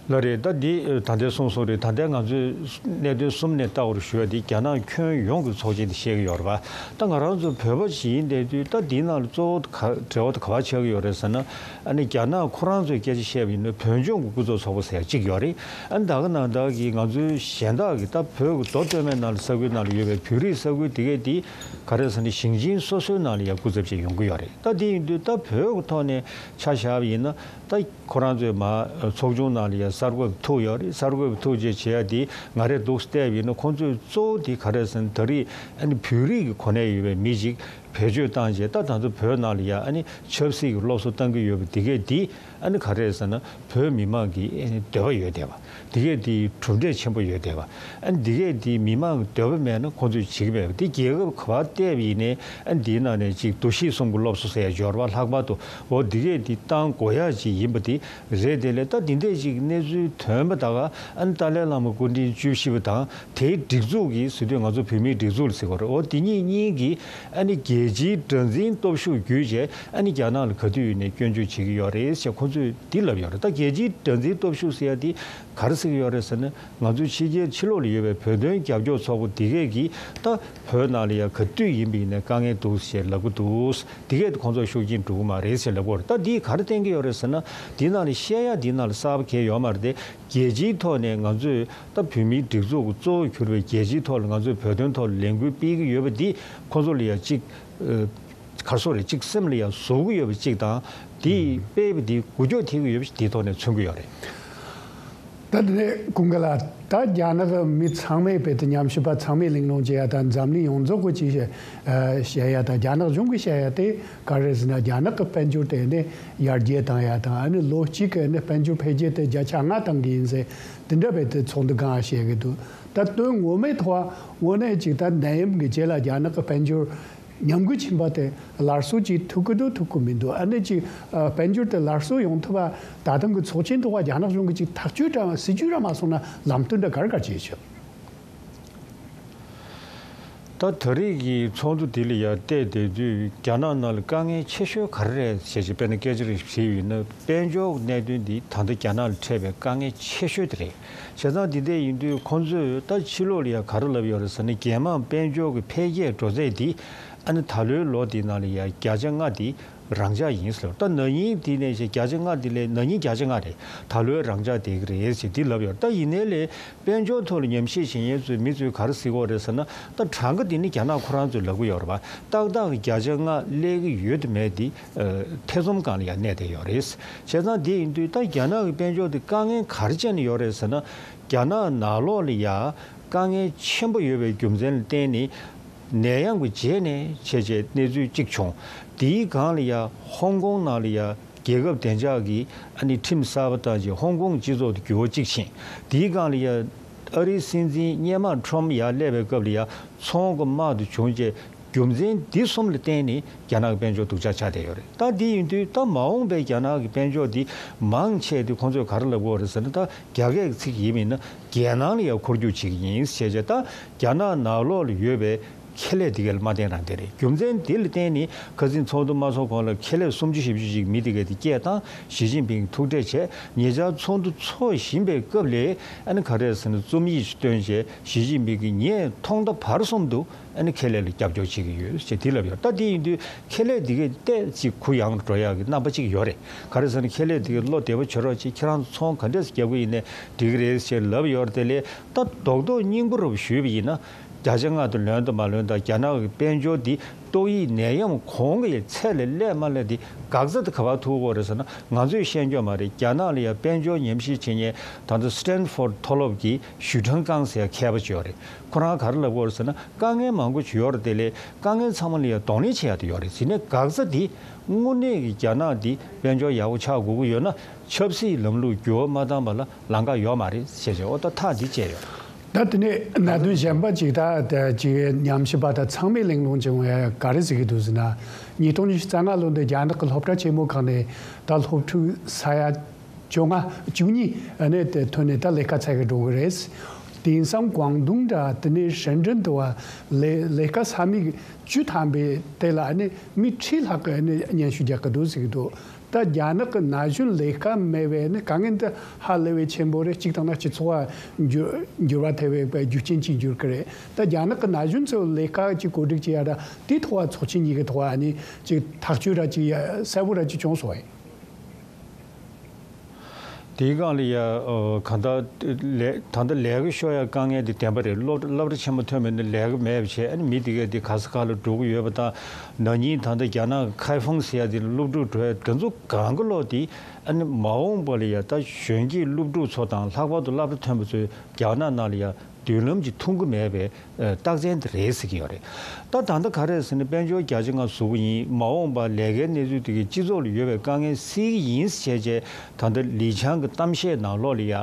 ལགས་རེད། ད་འདི་ད་ལྟའི་གསུངས་སོང་རེད། ད་ལྟའི་ང་ཚོས་གནད་དོན་གསུམ་ནས་ལྟ་བར་ཞུ་བ་འདི་རྒྱ་ནག་ཁྱོན་ཡོངས་ཀྱི་ཚོགས་ཆེན་དེ་བཤད་ཀྱི་ཡོད་རེད་པ། ད་ང་རང་ཚོ་བོད་པ་ཞིག་ཡིན་བསྡད་དུས་ད་འདིའི་ནང་ལ་གཙོ་བོ་ག་འབྲེལ་བ་དེ་ག་པར་ཆགས་ཀྱི་ཡོད་རེད་ཟེར་ན། ཨ་ནི་རྒྱ་ནག་ཁོ་རང་ཚོའི་སྐད་ཆ་བཤད་པ་ཡིན་ན་བོད་ལྗོངས་ཀྱི་སྐུ་ཚབ་ཚོགས་པ་ཟེར་ཡ་གཅིག་ཡོད་རེད། ཨ་ནི་ད་ག་ནང་བཞིན་གྱི་ང་ཚོའི་གཞན་དག་གི་ད་བོད་ཀྱི་མདོ་སྟོད་སྨད་ནང་ལ་ས་ཁུལ་ནང་ལ་ཡོད་པའི་བོད་རིགས་ས་ཁུལ་དེ་གས་དེ་ག་རེ་ཟེར་ན་ཞིང་ཆེན་སོ་སོའི་ནང་ལ་ཡ་སྐུ་ཚབ་ཅིག་ཡོང་གི་ཡོད་རེད། ད་དེ་ཡིན་དུས་ད་བོད་ཀྱི་ཐོག་ནས་ཆ་བཞག་པ་ཡིན་ན། ད་ཁོ་རང་ཚོའི་མ་ཚོགས་ཆུང་ནང་ལ་ཡ་གསར་འགོད་པ་ཐུག་ཡོད་རེད། གསར་འགོད་པ་ཐུག་རྗེས་བྱེད་ཡ་དེ་ང་རས་འདུག་བལྟས་པ་ཡིན་ན་ཁོང་ཚོས་གཙོ་བོ་དེ་ག་རེ་ཟེར་ན། ད་རེས་ཨ་ནི་བོད་རིགས་ཀྱི་གོ་གནས་ཡོད་པའི་མི་ཞིག་བེད་སྤྱོད་བཏང་རྗེས་ད་ད་ཚོ་བོད་ནང་ལ་ཡ་ཨ་ནི་ཆབ་སྲིད་ཀྱི་སློབ་གསོ་བཏང་གི་ཡོད་པ་དེ་གས་དེ་ཨ་ནི་ག་རེ་ཟེར་ན་བོད་མི་མང་གི་ཨ་ནི་འདོད་པ་ཡོད་བསྡད་པ། དེ་གས་དེ་གྲུབ་འབྲས་ཆེན་པོ་ཡོད་བསྡད་པ། ཨ་ནི་དེ་གས་དེ་མི་མང་གི་འདོད་པ་མེད་ན་ཁོང་ཚོས་བྱེད་ཀྱི་མེད་པ། དེ་རྒྱལ་ཁབ་ག་པར་བལྟས་པ་ཡིན་ནའི་ཨ་ནི་དེའི་ནང་ནས་ཅིག་འདུ་ཤེས་གསུམ་གྱི་སློབ་གསོ་ཟེར་ཡ་འབྱོར་བ་ལྷག་པར་དུ་འོ་དེ་གས་དེ་བཏང་དགོས་ཡ་ཅིག་ཡིན་པ་དེ་རེད། དེ་ལས་ད་དེ་འདྲས་ཅིག་གནས་ཚུལ་ཐོན་པ་ད་ག་ཨ་ནི་ཏཱ་ལའི་བླ་མ་སྐུ་ཕྲེང་བཅུ་བཞི་པ་དང་དེའི་སྒྲིག་འཛུགས་ཀྱི་ཟེར་དུས་ང་ཚོ་བོད་མིའི་སྒྲིག་འཛུགས་ལ་ཟེར་དགོས་རེད། འོ་དེ་གཉིས་གཉིས་ཀྱིས་ཨ་ནི་རྒྱལ་སྤྱིའི་དགྲར་འཛིན་སྟོབས་ཤུགས་བརྒྱུད་བྱས་ཨ་ནི་རྒྱ་ནག་ལ་ག་དུས་ཡིན་ནའི་སྐྱོན་བརྗོད་བྱེད་ཀྱི་ཡོད་རེད་ཟེར་ཁོང་ཚོས་འདི་ལབ་ཡོད་རེད། ད་རྒྱལ་སྤྱིའི་དགྲར་འཛིན་སྟོབས་ཤུགས་ཟེར་ཡ་དེ་ག་རེ་ཟེར་གྱི་ཡོད་རེད་ཟེར་ན། ང་ཚོའི་ཕྱི་རྒྱལ་ཕྱི་ལོགས་ལ་ཡོད་པའི་བོད་དོན་རྒྱབ་སྐྱོར་ཚོགས་པ་འདི་གས་ཀྱིས་ད་བོད་ནང་ལ་ཡ་ག་དུས་ཡིན་པ་ཡིན་ནའི་དཀའ་ངལ་འདུག་ཞེས་ལབ་ཀྱི་འདུག་འདི་གས་ཁོང་ཚོ་ཤུགས་རྐྱེན་འགྲོ་གི་མ་རེད་ཞེས་ལབ་ཀྱི་ཡོད་རེད། ད་འདིས་ག་རེ་བསྟན་གྱི་ཡོད་རེད་ཟེར་ན། འདི་ནང་ལ་བཤད་ཡ་འདི་ནང་ལ་གསར་པ་གང་ཡང་ཡོད་མ་རེད་དེ། རྒྱལ་སྤྱིའི་ཐོག་ནས་ང་ཚོས་ད་བོད་མིའི་སྒྲིག་འཛུགས་ཀྱི་གཙོ་བོ་གྱུར་པའི་རྒྱལ་སྤྱིའི་ཐོག་ལ་ང་ཚོས་བོད་དོན་ཐོག་ལ་ལས་འགུལ་སྤེལ་གྱི་ཡོད་པ་འདི་ཁོང་ཚོ་ལ་ཡ་གཅིག་ཨ། ག་རེ་ཟེར་རེད། གཅིག་སེམས་ལ་ཡ་ཟུག་གི་ཡོད་པ་གཅིག་དང་། དེའི་དཔེ་དེ་འགུལ་སྐྱོད་ཐེབས་ཀྱི་ཡོད་པ་ཞིག་དེའི་ཐོག་ནས་མཚོན་གྱི་ཡོད་རེད། ད་དེ་ནས་ཀུན་དགའ་ལགས། ད་རྒྱ་ནག་གི་མི་ཚང་མས་དཔེ་དེ་ཉམས་ཞིབ་པ་ཚང་མས་གླེང་སློང་བྱེད་ཡ་དང་འཛམ་གླིང་ཡོངས་རྫོགས་ཀྱིས་ཅིག་བཤད་ཡ་དང་། རྒྱ་ནག་གཞུང་གིས་བཤད་ཡ་དེ་ག་རེ་ཟེར་ན། རྒྱ་ནག་གི་དཔལ་འབྱོར་དེ་ནི་ཡར་རྒྱས་བཏང་ཡ་དང་། ཨ་ནི་ལོ་གཅིག་གི་ནི་དཔལ་འབྱོར་འཕེལ་རྒྱས་དེ་བརྒྱ་ཆ་ལྔ་བཏང་གི་ཡིན་ཟེར་དེ་འདྲ་བས་དེ་ཚོགས་འདུ་སྒང་བཤད་གི་འདུག་ད་དོན་ངོ་མའི་ཐོག་དངོས་གནས་ཅིག་ད་ནད་ཡམས་ཀྱི་རྗེས་ལ་རྒྱ་ནག་གི་དཔལ་འབྱོར་ཉམས་རྒུད་ཕྱིན་པ་དེ་སླར་གསོ་ཅིག་ཐུབ་ཀི་འདུག་ཐུབ་ཀི་མི་འདུག་ཨ་ནི་ཅིག་ཨ་དཔལ་འབྱོར་དེ་སླར་གསོ་ཡོང་ཐུབ་པ་ད་ཐེངས་ཀྱི་ཚོགས་ཆེན་ཐོག་རྒྱ་ནག་གཞུང་གིས་ཅིག་ཐག་གཅོད་འདྲ་སྲིད་ཇུས་འདྲ་མ་བཟུང་ན་ལམ་སྟོན་འདྲ་ག་རེ་ག་རེ་བྱེད་ཆོག་ད་ད་རེས་ཀྱི་ཚོགས་འདུ་དེ་ལ་ཡ་བལྟས་བསྡད་དུས་རྒྱ་ནག་ནང་ལ་དཀའ་ངལ་ཆེ་ཤོས་ག་རེ་རེད་ཟེར་ཅིག་དཔེར་ན་སྐད་ཆ་རེ་དྲིས་ཡོད་ན། དཔལ་འབྱོར་གནད་དོན་འདི་ད་ལྟ་རྒྱ་ནག་ལ་འཕྲད་པའི་དཀའ་ངལ་ཆེ་ཤོས་དེ་རེད། བྱས་ཙང་འདི་འདྲ་ཡིན་དུས་ཁོང་ཚོས་ད་ཕྱི་ལོགས་ལ་ཡ་ག་རེ་ལབ་ཡོད་རེད་ཟེར་ན། རྒྱལ་དམངས་དཔལ་འབྱོར་གྱི་འཕེལ་རྒྱས་འགྲོ་ཚད་འདི་ཨ་ནི་ད་ལོའི་ལོ་འདི་ནང་ལ་ཡ་བརྒྱ་ཆ་ལྔ་འདི་རང་འཇགས་ཡིན་ཟེར། ད་ན་ནིང་འདི་ནས་བྱས་བརྒྱ་ཆ་ལྔ་འདི་ལས་ན་ནིང་བརྒྱ་ཆ་ལྔ་རེད། ད་ལོའི་རང་འཇགས་བསྡད་ཀྱི་རེད་ཟེར་འདི་ལབ་ཡོད། ད་ཡིན་ནའི་ལས་དཔལ་འབྱོར་ཐོག་ལ་ཉམས་ཞིབ་བྱེད་མཁན་ཚོས་མི་ཚོས་ག་རེ་ཟེར་གྱི་ཡོད་རེད་ཟེར་ན། ད་གྲངས་ཀ་འདི་ནི་རྒྱ་ནག་ཁོ་རང་ཚོས་ལབ་ཀྱི་ཡོད་རེད་པ། ཏག་ཏག་གི་བརྒྱ་ཆ་ལྔ་སླེབས་ཀྱི་ཡོད་དམ་མེད་འདི་ཨ་ཐེ་ཚོམ་སྒང་ལ་ཡང་གནས་བསྡད་ཡོད་རེད། བྱས་ཙང་འདི་ཡིན་དུས་ད་རྒྱ་ནག་གི་དཔལ་འབྱོར་འདི་དཀའ་ངལ་ག་རེ་བྱས་ནས་ཡོད་རེད་ཟེར་ན། རྒྱ་ནག་ནང་ལོགས་ལ་ཡ་དཀའ་ངལ་ཆེན་པོ་ཡོད་པའི་རྒྱུ་མཚན་ལ་བརྟེན་ནས་ནད་ཡམས་ཀྱི་རྗེས་ནས་བྱས་བྱས་གནས་ཚུལ་གཅིག་བྱུང་། དེའི་སྒང་ལ་ཡ་ཧོང་ཀོང་ནང་ལ་ཡ་རྒྱལ་ཁབ་བདེ་འཇགས་ཀྱི་ཨ་ནི་ཁྲིམས་གསར་པ་བཏང་རྗེས་ཧོང་ཀོང་སྤྱི་ཚོགས་དེ་འགྱུར་བ་གཅིག་ཕྱིན། དེའི་སྒང་ལ་ཡ་ཨ་རིའི་སྲིད་འཛིན་སྔོན་མ་ཁྲོམ་ཡར་སླེབས་པའི་སྐབས་ལ་ཡ་ཚོང་གི་དམག་དེ་བྱུང་རྗེས་ རྒྱུ་མཚན་འདི་གསུམ་ལ་བརྟེན་ནས་རྒྱ་ནག་གི་དཔལ་འབྱོར་སྡུག་ཅག་ཆགས་བསྡད་ཡོད་རེད། ད་འདི་ཡིན་དུས་ད་མ་འོངས་པའི་རྒྱ་ནག་གི་དཔལ་འབྱོར་འདི་མང་ཆེ་དེ་ཁོང་ཚོས་ག་རེ་ལབ་དགོས་རེད་ཟེར་ན། ད་རྒྱ་སྐད་ཀྱི་ཚིག་ཡིན་མིན་ན་རྒྱལ་ནང་ལ་ཡང་འཁོར་རྒྱུག་བྱེད་ཀྱི་ཡིན་ཞེས་བྱས། ད་རྒྱ་ནག་ནང་ལོགས་ལ་ཡོད་པའི་ཁེ་ལས་དེ་ག་ལ་མ་བརྟེན་རང་བརྟེན་རེད། རྒྱུ་མཚན་དེ་ལ་བརྟེན་ནས་ཁ་སང་ཚོགས་འདུ་མ་ཚོགས་གོང་ལ་ཁེ་ལས་སུམ་ཅུ་བཞི་བཅུ་ཅིག་མི་དེ་ག་དེ་སྐད་བཏང་། ཞི་ཅིན་ཕིང་ཐུག་འཕྲད་བྱས། ཉེ་ཆར་ཚོགས་འདུ་ཚོགས་བཞིན་པའི་སྐབས་ལ་ཨ་ནི་ག་རེ་ཟེར་ན་རྩོམ་ཡིག་ཅིག་བཏོན་བྱས། ཞི་ཅིན་ཕིང་གིས་ངས་ཐོག་མཐའ་བར་གསུམ་དུ་ཨ་ནི་ཁེ་ལས་ལ་རྒྱབ་སྐྱོར་བྱེད་ཀྱི་ཡོད་ཅེས་དེ་ལབ་ཡོད། ད་དེ་ཡིན་དུས་ཁེ་ལས་དེ་གས་ཏོག་ཙམ་གུ་ཡངས་འགྲོ་ཡག་གི་རྣམ་པ་ཅིག་ཡོད་རེད། ག་རེ་ཟེར་ན་ཁེ་ལས་དེ་གས་བློ་བདེ་པོ་བྱེད་རོགས་བྱེད། ཁྱེད་རང་ཚོ་ཚོང་ག་འདྲས་སེ་རྒྱག་གི་ཡིན་ནའི་འགྲིག་གི་རེད་ཅེས་ལབ་ཡོད་རེད། དེ་ལས་ད་རྡོག་རྡོག་སྙིང་པོ་རུ་ཞུས་པ་ཡིན་ན། བརྒྱ་ཆ་ལྔ་དེ་ལོན་དང་མ་ལོན་དང་། རྒྱ་ནག་གི་དཔལ་འབྱོར་འདི་ཏོག་དབྱིབས་ནད་ཡམས་གོང་གི་ཚད་ལས་སླེབས་མ་སླེབས་དེ་འགག་རྩ་དེ་ག་པར་ཐུག་གི་ཡོད་རེད་ཟེར་ན། ང་ཚོས་ཤེས་ཀྱི་ཡོད་མ་རེད། རྒྱ་ནག་ལ་ཡང་དཔལ་འབྱོར་ཉམས་ཞིབ་བྱེད་མཁན་ད་ལྟ་སི་ཊན་ཕོར་ཌི་མཐོ་སློབ་ཀྱི་ཞུས་ཁྲང་ཀང་ཟེར་ཡ་མཁས་པ་ཅིག་ཡོད་རེད། ཁོ་རང་ག་རེ་ལབ་ཀྱི་ཡོད་རེད་ཟེར་ན། དཀའ་ངལ་མང་པོ་ཅིག་ཡོད་རེད། དེ་ལས་དཀའ་ངལ་ཚང་མ་ལ་ཡང་གདོང་ལེན་བྱེད་ཡ་དེ་ཡོད་རེད། དེ་ནས་འགག་རྩ་དེ་དངོས་གནས་ཀྱི་རྒྱ་ནག་འདི་དཔལ་འབྱོར་ཡག་པོ་ཆགས་དགོས་ཀྱི་ཡོད་ན། ཆབ་སྲིད་ལམ་ལུགས་འགྱུར་བ་མ་བཏང་བ་ལ་ལམ་ཁ་ཡོད་མ་རེད་ཟེར་བྱས། ཨོ་ད་ཐག་འདི་བཅད་ཡོད། ད་དེ་ནས་གནད་དོན་གཞན་པ་ཅིག་ད་ད་ཅིག་ཉམས་ཞིབ་པ་དང་ཚང་མས་གླེང་སློང་བྱུང་བའི་ག་རེ་ཟེར་གྱི་འདུག་ཟེར་ན། ཉིས་སྟོང་ཉི་ཤུ་རྩ་ལྔ་ལོ་འདི་རྒྱ་ནག་གི་སློབ་གྲྭ་ཆེན་མོ་ཁག་ནས་ད་སློབ་ཕྲུག་ས་ཡ་བཅོ་ལྔ་བཅུ་གཉིས་ནས་དེ་ཐོན་ནས་ད་ལས་ཀ་འཚོལ་གི་འགྲོ་གི་རེད། དེང་སང་ཀོང་ཏུང་འདྲ་དེ་ནས་ཧྲེན་ཀྲེན་དུ་བ་ལས་ལས་ཀ་ས་མིག་བཅུ་ཐམ་པའི་དེ་ལ་ནི་མི་ཁྲི་ལྷག་གི་ནི་སྙན་ཞུ་རྒྱག་གི་འདུག་ཟེར་གི་འདུག་ད་རྒྱ་ནག་གི་ན་གཞོན་ལས་ཀ་མེད་པའི་ནི་དཀའ་ངལ་འདི་ཧ་ལས་པའི་ཆེན་པོ་རེད། གཅིག་དང་ན་སྤྱི་ཚོགས་ལ་འགྱུར་འགྱུར་བ་ཐེབས་པའི་རྒྱུ་རྐྱེན་ཅིག་འགྱུར་གི་རེད། ད་རྒྱ་ནག་གི་ན་གཞོན་ཚོ་ལས་ཀ་ཅིག་བཀོད་སྒྲིག་བྱེད་ཡ་ད་དེའི་ཐོག་ལ་ཚོགས་ཆེན་གཉིས་ཀྱི་ཐོག་ལ་ནི་ཅིག་ཐག་གཅོད་ར་ཅིག་གསལ་པོ་ར་ཅིག་བྱུང་སོང་བས། དེའི་སྒང་ལ་ཡ་ཨ་གང་ལྟར་ལས་ད་ལྟ་ལས་ཀ་ཤོར་ཡ་དཀའ་ངལ་དེ་བདེན་པ་རེད། སློབ་སློབ་གྲྭ་ཆེན་མོ་ཐོན་པ་ཡིན་ན་ལས་ཀ་མེད་པ་བྱས། ཨ་ནི་མི་དེ་གས་དེ་ག་ས་ག་ལ་འགྲོ་གི་ཡོད་པ་དང་། ན་ནིང་ད་ལྟ་རྒྱ་ནག་གི་ཁའེ་ཧྥང་ཟེར་ཡ་དེ་ལ་སློབ་ཕྲུག་འགྲོ་ཡ་དེ་ཚོ་གང་ག་ལོག་དེ་ཨ་ནི་མ་འོངས་པ་ལ་ཡ་ད་གཞོན་སྐྱེས་སློབ་ཕྲུག་ཚོ་དང་ལྷག་པར་དུ་སློབ་གྲྭ་ཐོན་པ་ཚོས་རྒྱ་ནག་ནང་ལ་ཡ་མདུན་ལམ་གྱི་མཐོང་གི་མེད་པའི་ཨ་རྟགས་མཚན་དེ་རེད་ཟེར་གྱི་ཡོད་རེད། ད་ད་ལྟ་ག་རེ་ཟེར་ན་དཔལ་འབྱོར་བརྒྱ་ཆ་ལྔ་བཟོ་གི་ཡིན། མ་འོངས་པ་ལས་ཀའི་གནས་ཚུལ་དེ་གའི་སྤྱི་ཚོགས་ལ་ཡོད་པའི་དཀའ་ངལ་སེལ་གྱི་ཡིན་ཟེར་བྱས། ད་ལྟ་ལི་ཆང་གི་གཏམ་བཤད་ནང་ལོགས་ལ་ཡ་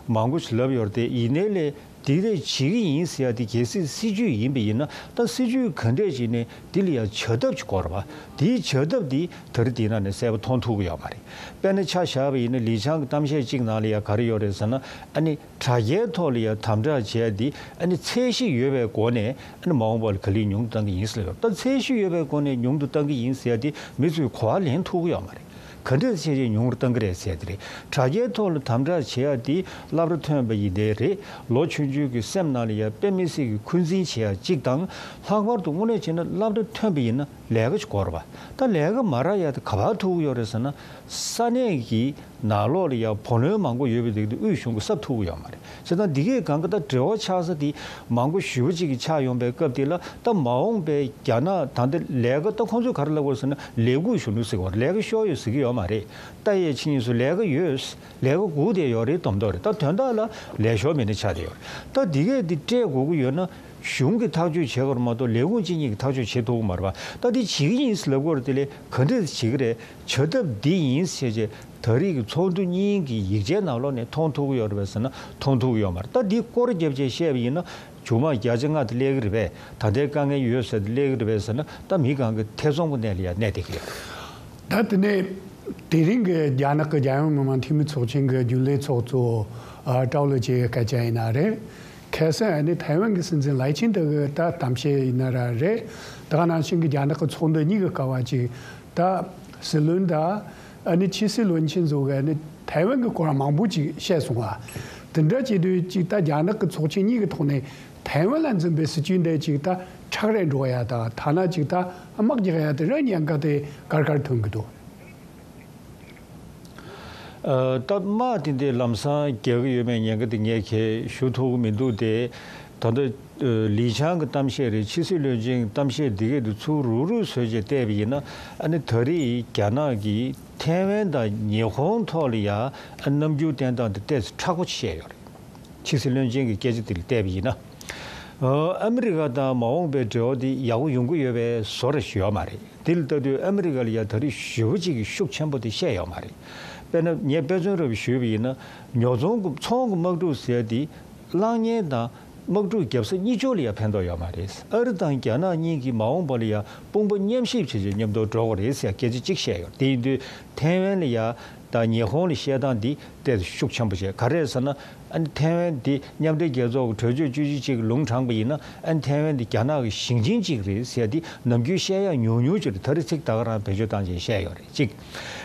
མང་པོ་ཞིག་ལབ་ཡོད་རེད་དེ། ཡིན་ནའི་ལས་དེ་རེད་བྱེད་ཀྱི་ཡིན་ཟེར་ཡ་དེ་གལ་སྲིད་སྲིད་ཇུས་ཡིན་པ་ཡིན་ན། ད་སྲིད་ཇུས་ག་འདྲས་བྱས་ནས་དེ་ལ་ཡ་བྱ་ཐབས་ཅིག་དགོས་རེད་པ། དེའི་བྱ་ཐབས་དེ་ད་རེས་དེའི་ནང་ནས་གསལ་པོ་མཐོང་ཐུབ་ཀྱི་ཡོད་མ་རེད། དཔེར་ན་ཆ་བཞག་པ་ཡིན་ན་ལི་ཆང་གི་གཏམ་བཤད་གཅིག་ནང་ལ་ཡ་ག་རེ་ཡོད་རེད་ཟེར་ན། ཨ་ནི་དྲ་རྒྱའི་ཐོག་ལ་ཡང་དམ་དྲག་བྱས་ཏེ། ཨ་ནི་ཚད་གཞི་ཡོད་པའི་སྒོ་ནས་ཨ་ནི་མ་འོངས་པ་ལ་ག་ལེར་ཉུང་དུ་བཏང་གི་ཡིན་ཟེར་ཡོད། ད་ཚད་གཞི་ཡོད་པའི་སྒོ་ནས་ཉུང་དུ་བཏང་གི་ཡིན་ཟེར་ཡ་དེ་མི་ཚོས་གོ་བ་ལེན་ཐུབ་ཀྱི་ཡོད་མ་རེད། ག་འདྲས་བྱས་བྱས་ཉུང་རུ་བཏང་གི་རེད་ཟེར་ཡ་དེ་རེད། དྲ་རྒྱའི་ཐོག་ལ་དམ་དྲག་བྱེད་ཡ་དེ་སློབ་གྲྭ་ཐོན་པ་ཡིན་དེ་རེད། ལོ་ཆུང་ཆུང་གི་སེམས་ནང་ལ་ཡང་དཔེ་མི་སྲིད་ཀྱི་འཁོན་འཛིན་བྱེད་ཡ་གཅིག་དང་། ལྷག་པར་དུ་དངོས་གནས་བྱས་ན་སློབ་གྲྭ་ཐོན་པ་ཡིན་ན་ལས་ཀ་ཅིག་དགོས་རེད་པ། ད་ལས་ཀ་མ་རག་ཡ་དེ་ག་པར་ཐུག་གི་ཡོད་རེད་ཟེར་ན། ས་གནས་ཀྱི་ནང་ལོགས་ལ་ཡང་བུ་ལོན་མང་པོ་ཡོད་པའི་དེ་དུས་དབུས་གཞུང་གིས་གསབ་ཐུབ་ཀྱི་ཡོད་མ་རེད། བྱས་ཙང་འདི་གའི་སྒང་ག་ད་འབྲེལ་བ་ཆགས་ས་དེ་མང་པོ་ཞེ་པོ་ཅིག་གི་ཆགས་ཡོང་པའི་སྐབས་དེ་ལ། ད་མ་འོངས་པའི་རྒྱ་ནག་ད་ལྟ་ལས་ཀ་ད་ཁོང་ཚོས་ག་རེ་ལབ་དགོས་ཟེར་ན། ལས་ཁུངས་གཞོན་ནུ་ཟེར་གྱི་ཡོད་རེད། ལས་ཀ་ཤོར་ཡོད་ཟེར་གྱི་ཡོད་མ་རེད། ལྟ་ཡས་ཕྱིན་ཡིན་སུ་ལས་ཀ་ཡོད། ལས་ཀ་སྒུག་བསྡད་ཡོད་རེད་མདོག་མདོག་རེད། ད་དོན་དག་ལ་ལས་ཤོར་མི་སྣ་ཆགས་བསྡད་ཡོད་རེད། ད་འདི་གས་འདི་སྤྲད་དགོས་ཀྱི་ཡོད་ན་གཞུང་གིས་ཐག་གཅོད་བྱེད་དགོས་རེད་མ་གཏོགས་ལས་ཁུངས་གཅིག་གཉིས་ཀྱིས་ཐག་གཅོད་བྱེད་ཐུབ་ཀྱི་མ་རེད་པ། ད་འདི་བྱེད་ཀྱི་ཡིན་ཟེར་ལབ་ཀྱི་ཡོད་རེད། དེ་ལས་ག་འདྲས་བྱེད་ཀྱི་རེད། བྱ་ཐབས་འདི་ཡིན་ཟེར་བྱས་ད་རེས་ཀྱི་ཚོགས་འདུ་གཉིས་ཀྱི་ཡིག་ཆའི་ནང་ལོགས་ནས་མཐོང་ཐུབ་ཀྱི་ཡོད་རེད་པས་ཟེར་ན་མཐོང་ཐུབ་ཀྱི་ཡོད་མ་རེད། ད་འདི་སྐོར་རྒྱབ་བྱས་བཤད་པ་ཡིན་ན། མཇུག་མ་བརྒྱ་ཆ་ལྔ་དེ་སླེབས་ཀྱི་རེད་པས། ད་ལྟའི་དཀའ་ངལ་ཡོད་ཟེར་དེ་སླེབས་ཀྱི་རེད་པས་ཟེར་ན། ད་མི་གང་གི་ཐེ་ཚོམ་གྱི་གནས་ལ་ཡང་གནས་བསྡད་ཀྱི་ཡོད་རེད། ད་དེ་ནས་དེ་རིང་གི་རྒྱ་ནག་གི་རྒྱལ་ཡོངས་མི་དམངས་འཐུས་མི་ཚོགས་ཆེན་གྱི་རྒྱུན་ལས་ཚོགས་གཙོ་ཨ་ཀྲའོ་ལི་ཅེ་གི་སྐད་ཆ་ཡིན་ན་རེད། ཁ་སང་ཨ་ནི་ཐའེ་ཝན་གྱི་སྲིད་འཛིན་ལའེ་ཆིང་ཏེ་གི་ད་གཏམ་བཤད་ཡིན་ན་ར་རེད། ད་ག་ནང་བཞིན་གྱི་རྒྱ་ནག་གི་ཚོགས་འདུ་གཉིས་ཀྱི་སྐབས་བ་ཅིག་ད་སྲིད་བློན་དང་ཨ་ནི་ཕྱི་སྲིད་བློན་ཆེན་ཚོ་གི་ཨ་ནི་ཐའེ་ཝན་གྱི་སྐོར་མང་པོ་ཅིག་བཤད་སོང་བ། དེ་འདྲ་བྱེད་དུས་ཅིག་ད་རྒྱ་ནག་གི་ཚོགས་ཆེན་གཉིས་ཀྱི་ཐོག་ནས་ཐའེ་ཝན་ལ་འཛིན་པའི་སྲིད་ཇུས་འདི་ཅིག་ད་ཁྲག་རེད་འགྲོ་ཡ་དང་། ཐ་ན་ཅིག་ད་དམག་རྒྱག་ཡ་དེ་ར་ཉེན་ཁ་དེ་གར་གར་ཐོན་གི་འདུག་ཨ། ད་དམག་དེ་འདྲའི་ལམ་སང་རྒྱག་གི་ཡོད་མེད་ཉེན་ཁ་དེ་ངས་ཁྱེད་ཞུ་ཐུབ་ཀྱི་མི་འདུག་སྟེ། ད་ལྟ་ཨ་ལི་ཆང་གི་གཏམ་བཤད་རེད། ཕྱི་སྲིད་བློན་ཆེན་གྱི་གཏམ་བཤད་འདི་གས་དེ་ཚུར་རུག་རུག་བཟོས་བྱས་བལྟས་པ་ཡིན་ན། ཨ་ནི་ད་རེས་ཀྱི་རྒྱ་ནག་གིས་ཐའེ་ཝན་དང་ཉི་ཧོང་ཐོག་ལ་ཡ་ཨ་རྣམ་འགྱུར་བསྟན་སྟངས་དེ་ཏོག་ཙམ་མཁྲེགས་པོ་བཤད་ཡོད་རེད། ཕྱི་སྲིད་བློན་ཆེན་གྱི་སྐད་ཆ་དེ་ལ་བལྟས་པ་ཡིན་ན། ཨ་ཨ་མི་རི་ཀ་དང་མ་འོངས་པའི་འབྲེལ་བ་དེ་ཡག་པོ་ཡོང་གི་ཡོད་པའི་བཟོ་འདྲ་ཞིག་ཡོད་མ་རེད། དེ་ལ་ལྟ་དུས་ཨ་མི་རི་ཀ་ལ་ཡ་ད་རེས་ཞེ་པོ་ཅིག་གི་ཤུགས་ཆེན་པོ་དེ་བཤད་ཡོད་མ་རེད། དཔེར་ན་ངས་དཔེ་མཚོན་རེ་ཞུས་པ་ཡིན་ན། ཉོ་ཚོང་གི་ཚོང་གི་དམག་འཁྲུག་ཟེར་ཡ་དེ་གློག་བརྙན་དང་ དམག་འཁྲུག་བརྒྱབ་ས་གཉིས་ཆོག་ལ་ཡང་ཕན་ཐོགས་ཡོད་མ་རེད། ཨ་རི་དང་རྒྱ་ནག་གཉིས་ཀྱིས་མ་འོངས་པ་ལ་ཡང་དཔུང་པ་མཉམ་གཤིབ་བྱས་བྱས་མཉམ་དུ་འགྲོ་དགོས་རེད་ཟེར་སྐད་ཆ་གཅིག་བཤད་ཡོད། དེ་ཡིན་དུས་ཐའེ་ཝན་ལ་ཡང་ད་ཉི་ཧོང་ལ་བཤད་སྟངས་འདི་ཏོག་ཙམ་ཤུགས་ཆེན་པོ་བྱས། ག་རེ་རེད་ཟེར་ན། ཨ་ནི་ཐའེ་ཝན་འདི་མཉམ་འབྲེལ་རྒྱལ་ཚོགས་ཀྱི་གྲོས་ཆོད་བཅུ་གཅིག་ཅིག་ལུང་དྲངས་པ་ཡིན་ན། ཨ་ནི་ཐའེ་ཝན་འདི་རྒྱ་ནག་གི་ཞིང་ཆེན་གཅིག་རེད་ཟེར་ཡ་འདི་ནམ་རྒྱུན་བཤད་ཡ་ཉུང་ཉུང་ཅིག་རེད། ད་རེས་ཚིག་ད་ག་རང་བེད་སྤྱོད་བཏང་བྱས་བཤད་ཡོད་རེད། གཅིག་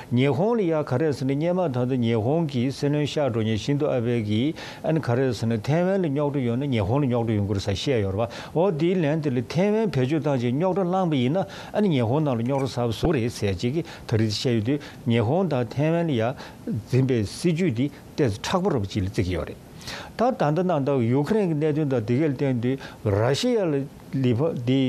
ཉི་ཧོང་ལ་ཡ་ག་རེ་ཟེར་ན། སྔོན་མ་ད་ལྟ་ཉི་ཧོང་གི་སྲིད་བློན་གཤེགས་འགྲོ་མཁན་ཤིན་ཛོ་ཨ་བྷེ་གིས་ཨ་ནི་ག་རེ་ཟེར་ན། ཐའེ་ཝན་ལ་རྙོག་དྲ་ཡོད་ན་ཉི་ཧོང་ལ་རྙོག་དྲ་ཡོང་གི་རེད་ཟེར་བཤད་ཡོད་རེད་པ། འོ་དེའི་ལན་དེ་ལ་ཐའེ་ཝན་བེད་སྤྱོད་བཏང་བྱས་རྙོག་དྲ་བསླངས་པ་ཡིན་ན། ཨ་ནི་ཉི་ཧོང་ནང་ལ་རྙོག་དྲ་ཟ་བ་བཟོ་གི་རེད་ཟེར་ཅིག་གིས་ད་རེས་བཤད་ཡོད་དུས། ཉི་ཧོང་དང་ཐའེ་ཝན་ལ་ཡ་འཛིན་པའི་སྲིད་ཇུས་འདི་ཏོག་ཙམ་མཁྲེགས་པོ་རུ་ཅིག་ལ་བརྩི་གི་ཡོད་རེད། ད་ད་ལྟ་ནང་ལྟར་ཡུ་ཁུ་རེན་གྱི་གནད་དོན་དང་དེ་ག་ལ་བརྟེན་དུས་ར་ཤི་ཡ་ལ་ལི་ཕ་འདི་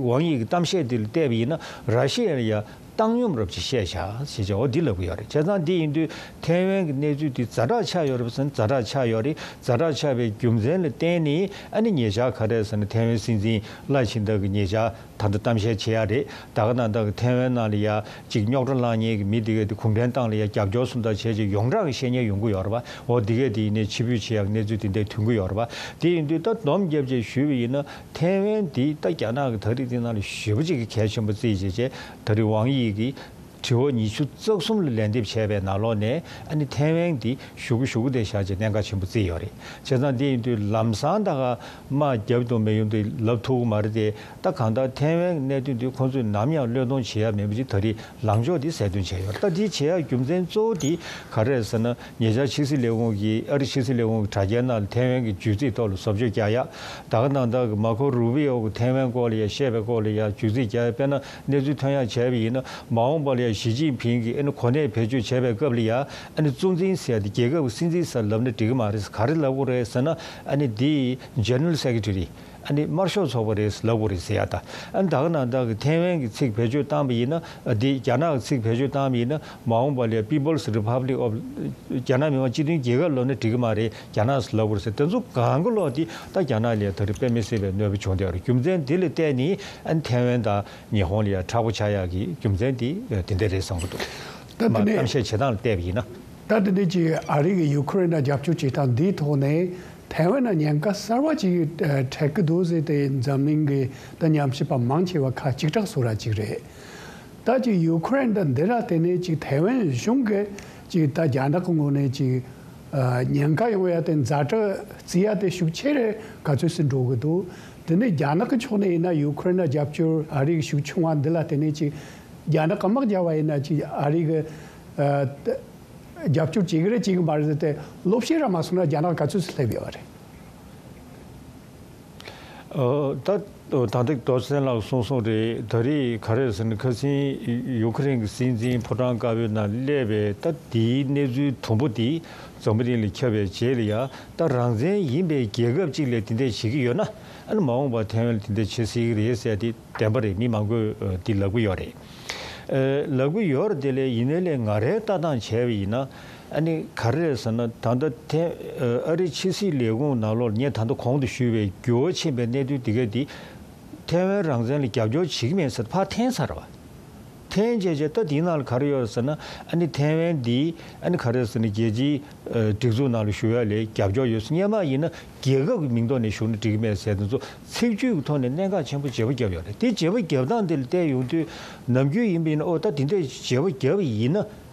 ཝང་དབྱི་གི་གཏམ་བཤད་འདི་ལ་བལྟས་པ་ཡིན་ན། ར་ཤི་ཡ་ལ་ཡ་བཏང་སྙོམས་རུ་ཅིག་བཤད་བཞག་ཞེས་བྱ་བ་འདི་ལབ་ཀྱི་ཡོད་རེད། བྱས་ཙང་འདི་ཡིན་དུས་ཐའེ་ཝན་གྱི་གནས་ཚུལ་འདི་ཛ་དྲག་ཆགས་ཡོད་རེད་པ་ཟེར་ན་ཛ་དྲག་ཆགས་ཡོད་རེད། ཛ་དྲག་ཆགས་པའི་རྒྱུ་མཚན་ལ་བརྟེན་ནས་ཨ་ནི་ཉེ་ཆར་ག་རེ་ཟེར་ན། ཐའེ་ཝན་སྲིད་འཛིན་ལའེ་ཆིང་ཏེ་གིས་ཉེ་ཆར་ད་ལྟ་གཏམ་བཤད་བྱེད་ཡ་རེད། ད་ག་ནང་ལྟར་གྱི་ཐའེ་ཝན་ནང་ལ་ཡ་གཅིག་རྙོག་དྲ་བསླངས་མཁན་གྱི་མི་དེ་གས་དེ་གུང་ཁྲན་ཏང་ལ་ཡ་རྒྱབ་སྐྱོར་སོང་ད་བྱས་རྗེས་ཡོངས་གྲགས་ཀྱི་བཤད་ཉན་ཡོང་གི་ཡོད་རེད་པ། འོ་དེ་གས་དེ་ཡིན་ནའི་ཕྱིར་འབུད་བྱེད་ཡག་གནས་ཚུལ་དེ་འདྲ་ཐོན་གྱི་ཡོད་རེད་པ། དེ་ཡིན་དུས་ད་སྡོམ་བརྒྱབ་བྱས་ཞུས་པ་ཡིན་ན། ཐའེ་ཝན་དེ་ད་རྒྱ་ནག་གི་ད་རེས་དེ་ནང་ལ་ཞེ་པོ་ཅིག་གི་གལ་ཆེན་པོ་བརྩིས་བྱས་བྱས། ད་རེས་ཝང་དབྱི་གིས་དྲི་བ་ཉི་ཤུ་རྩ་གསུམ་ལ་ལན་འདེབས་བྱས་པའི་ནང་ལོགས་ནས་ཨ་ནི་ཐའེ་ཝན་དེ་ཞུ་གི་ཞུ་གི་དེ་བཞག་བྱས་གནད་འགག་ཆེན་པོ་བརྩིས་ཡོད་རེད། བྱས་ཙང་དེ་ཡིན་དུས་ལམ་སང་ད་ག་དམག་རྒྱབ་དང་མི་ཡོང་དུས་ལབ་ཐུབ་ཀྱི་མ་རེད་དེ། ད་གང་ལྟར་ཐའེ་ཝན་གནད་དོན་དེ་ཁོང་ཚོས་ནམ་ཡང་བློས་གཏོང་བྱེད་ཡ་མེད་པ་ཅིག་ད་རེས་ལངས་ཕྱོགས་དེ་གསལ་སྟོན་བྱས་ཡོད་རེད། ད་དེ་བྱེད་ཡ་རྒྱུ་མཚན་གཙོ་བོ་དེ་ག་རེ་རེད་ཟེར་ན། ཉེ་ཆར་ཕྱི་སྲིད་ལས་ཁུངས་ཀྱིས། ཨ་རི་ཕྱི་སྲིད་ལས་ཁུངས་ཀྱི་དྲ་རྒྱའི་ནང་ལ་ཐའེ་ཝན་གྱི་བྱུས་རྩིས་ཐོག་ལ་བཟོ་བཅོས་བརྒྱབ་ཡ། ད་ག་ནང་ལྟར་གྱི་མར་ཁོ་རུ་བི་ཡོ་གིས་ཐའེ་ཝན་སྐོར་ལ་ཡ་བཤད་པའི་སྐོར་ལ་ཡ་བྱུས་རྩིས་བརྒྱབ་ཡ། དཔེར་ན་གནས་ཚུལ་ཐོན་ཡ་བྱས་པ་ཡིན་ན། མ་འོངས་པ་ལ་ཡ་ཞི་ཅིན་ཕིང་གིས་ཨ་ནི་གོ་གནས་བེད་སྤྱོད་བྱས་པའི་སྐབས་ལ་ཡ། ཨ་ནི་གཙོ་འཛིན་ཟེར་ཡ་དེ་རྒྱལ་ཁབ་ཀྱི་སྲིད་འཛིན་ཟེར་ལབ་ན་འགྲིག་གི་མ་རེད། ག་རེ་ལབ་དགོས་རེད་ཟེར་ན། ཨ་ནི་དེ་General Secretary། ཨ་ནི་དམར་ཤོག་ཚོགས་པ་རེད་ལབ་དགོས་རེད་ཟེར་ཡ་ད། ཨ་ནི་ད་ག་ནང་ལྟར་གྱི་ཐའེ་ཝན་གྱི་ཚིག་བེད་སྤྱོད་བཏང་པ་ཡིན་ན། ཨ་དེ་རྒྱ་ནག་གི་ཚིག་བེད་སྤྱོད་བཏང་པ་ཡིན་ན། མ་འོངས་པ་ལ་People's Republic of རྒྱ་ནག་མི་དམངས་སྤྱི་མཐུན་རྒྱལ་ཁབ་ལབ་ན་འགྲིག་གི་མ་རེད། རྒྱ་ནག་ལབ་དགོས་རེད་ཟེར། དེ་ཚོ་གང་ག་ལོག་དེ་ད་རྒྱ་ནག་ལ་ད་རེས་དཔེ་མི་སྲིད་པའི་གནོད་པ་བྱུང་བསྡད་ཡོད་རེད། རྒྱུ་མཚན་དེ་ལ་བརྟེན་ནས་ཨ་ནི་ཐའེ་ཝན་དང་ཉི་ཧོང་ལ་ཡ་མཁྲེགས་པོ་ཆགས་ཡག་གི་རྒྱུ་མཚན་དེ་དེ་འདྲ་རེད་བསམ་གྱི་འདུག་ད་དེ་མ་ནས་གཏམ་བཤད་བྱེད་སྟངས་ལ་བལྟས་པ་ཡིན་ན། ད་དེ་འདྲ་ཅིག་ཨ་རི་གིས་ཡུ་ཁུ་རེན་ལ་རྒྱབ་སྐྱོར་བྱེད་སྟངས་འདིའི་ཐོག་ནས། ཐའེ་ཝན་ལ་ཉེན་ཁ་གསར་བ་ཅིག་ཨ་འཕྲད་ཀྱི་འདུག་ཟེར་ཏེ་འཛམ་གླིང་གི་ད་ཉམས་ཞིབ་པ་མང་ཆེ་བ་ཁ་གཅིག་གྲགས་བཟོ་ར་ཅིག་རེད། ད་ཅིག་ཡུ་ཁུ་རེན་དང་འདི་ལ་བརྟེན་ནས་ཅིག་ཐའེ་ཝན་གཞུང་གིས་ཅིག་ད་རྒྱ་ནག་གི་ངོས་ནས་ཅིག་ཨ་ཉེན་ཁ་ཡོང་ཡ་དེ་ཛ་དྲག་བརྩི་ཡ་དེ་ཤུགས་ཆེ་རེ་ག་ཚོད་ཟིན་འགྲོ་གི་འདུག་དེ་ནས་རྒྱ་ནག་གི་ཕྱོགས་ནས་ཡིན་ན་ཡུ་ཁུ་རེན་ལ་རྒྱབ་སྐྱོར་ཨ་རི་གི་ཤུགས་ཆུང་བ་འདི་ལ་བརྟེན་ནས་ཅིག་རྒྱ་ནག་གི་དམག་རྒྱག་པ་ཡིན་ན་ཅིག་ཨ་རི་གི་ཨ། རྒྱབ་སྐྱོར་བྱེད་ཀྱི་རེད་བྱེད་ཀྱི་མ་རེད་ཟེར་ཏེ་ལོག་བཤད་ར་མ་སོང་ན་རྒྱ་ནག་ག་ཚོད་སླེབས་ཡོད་རེད། ཨོ། ད་ད་ལྟ་རྡོ་རྗེ་ལགས་གསུངས་སོང་རེད། ད་རེས་ག་རེ་ཟེར་ན། ཁ་སང་ཡུ་ཁུ་རེན་གྱི་སྲིད་འཛིན་ཕོ་བྲང་དཀར་པོའི་ནང་སླེབས་པའི་ད་དེའི་གནས་ཚུལ་དུམ་བུ་དེ་འཛམ་བུ་གླིང་ལ་ཁྱབ་པའི་རྗེས་ལ་ཡ། ད་རང་བཙན་ཡིན་པའི་རྒྱལ་ཁབ་ཅིག་ལ་དེ་འདྲ་བྱེད་ཀྱི་ཡོད་ན། ཨ་ནི་མ་འོངས་པར་ཐའེ་ཝན་ལ་དེ་འདྲ་བྱེད་སྲིད་ཀྱི་རེད་ཟེར་དེ་བདེན་པ་རེད། མི་མང་པོས་འདི་ལབ་ཀྱི་ཡོད་རེད། ཨ་ལབ་ཀྱི་ཡོད་རེད། དེ་ལས་ཡིན་ནའི་ལས་ང་རའི་ལྟ་སྟངས་བྱས་པ་ཡིན་ན། ཨ་ནི་ག་རེ་རེད་ཟེར་ན། ད་ལྟ་ཐེ་ཨ་རི་ཕྱི་སྲིད་ལས་ཁུངས་ནང་ལོགས་ངས་ད་ལྟ་གོང་དུ་ཞུས་པའི་འགྱུར་བ་ཕྱིན་པའི་གནད་དོན་དེ་ག་དེ་ཐའེ་ཝན་རང་བཙན་ལ་རྒྱབ་སྐྱོར་བྱེད་ཀྱི་མེད་ཟེར་ཕར་འཐེན་ཚར་བ། འཐེན་བྱས་རྗེས་ད་དེའི་ནང་ལ་ག་རེ་ཡོད་ཟེར་ན། ཨ་ནི་ཐའེ་ཝན་འདི་ཨ་ནི་ག་རེ་ཟེར་ན། རྒྱལ་སྤྱིའི་ཨ་སྒྲིག་འཛུགས་ནང་ལ་ཞུགས་ཡ་ལ་རྒྱབ་སྐྱོར་ཡོད་ཟེར། སྔོན་མ་ཡིན་ན་རྒྱལ་ཁབ་ཀྱི་མིང་ཐོག་ནས་ཞུགས་ན་འགྲིག་གི་མེད་ཟེར། དེ་ཚོ་ཚིག་བརྗོད་ཀྱི་ཐོག་ནས་གནད་འགག་ཆེན་པོ་བརྗེ་པོ་བརྒྱབ་ཡོད་རེད། དེ་བརྗེ་པོ་བརྒྱབ་སྟངས་དེ་ལ་བལྟས་ཡོང་དུས། ནམ་རྒྱུན་ཡིན་པ་ཡིན་ན། ཨོ། ད་དེ་འདྲས་བརྗེ་པོ་བརྒྱབ་པ་ཡིན་ན།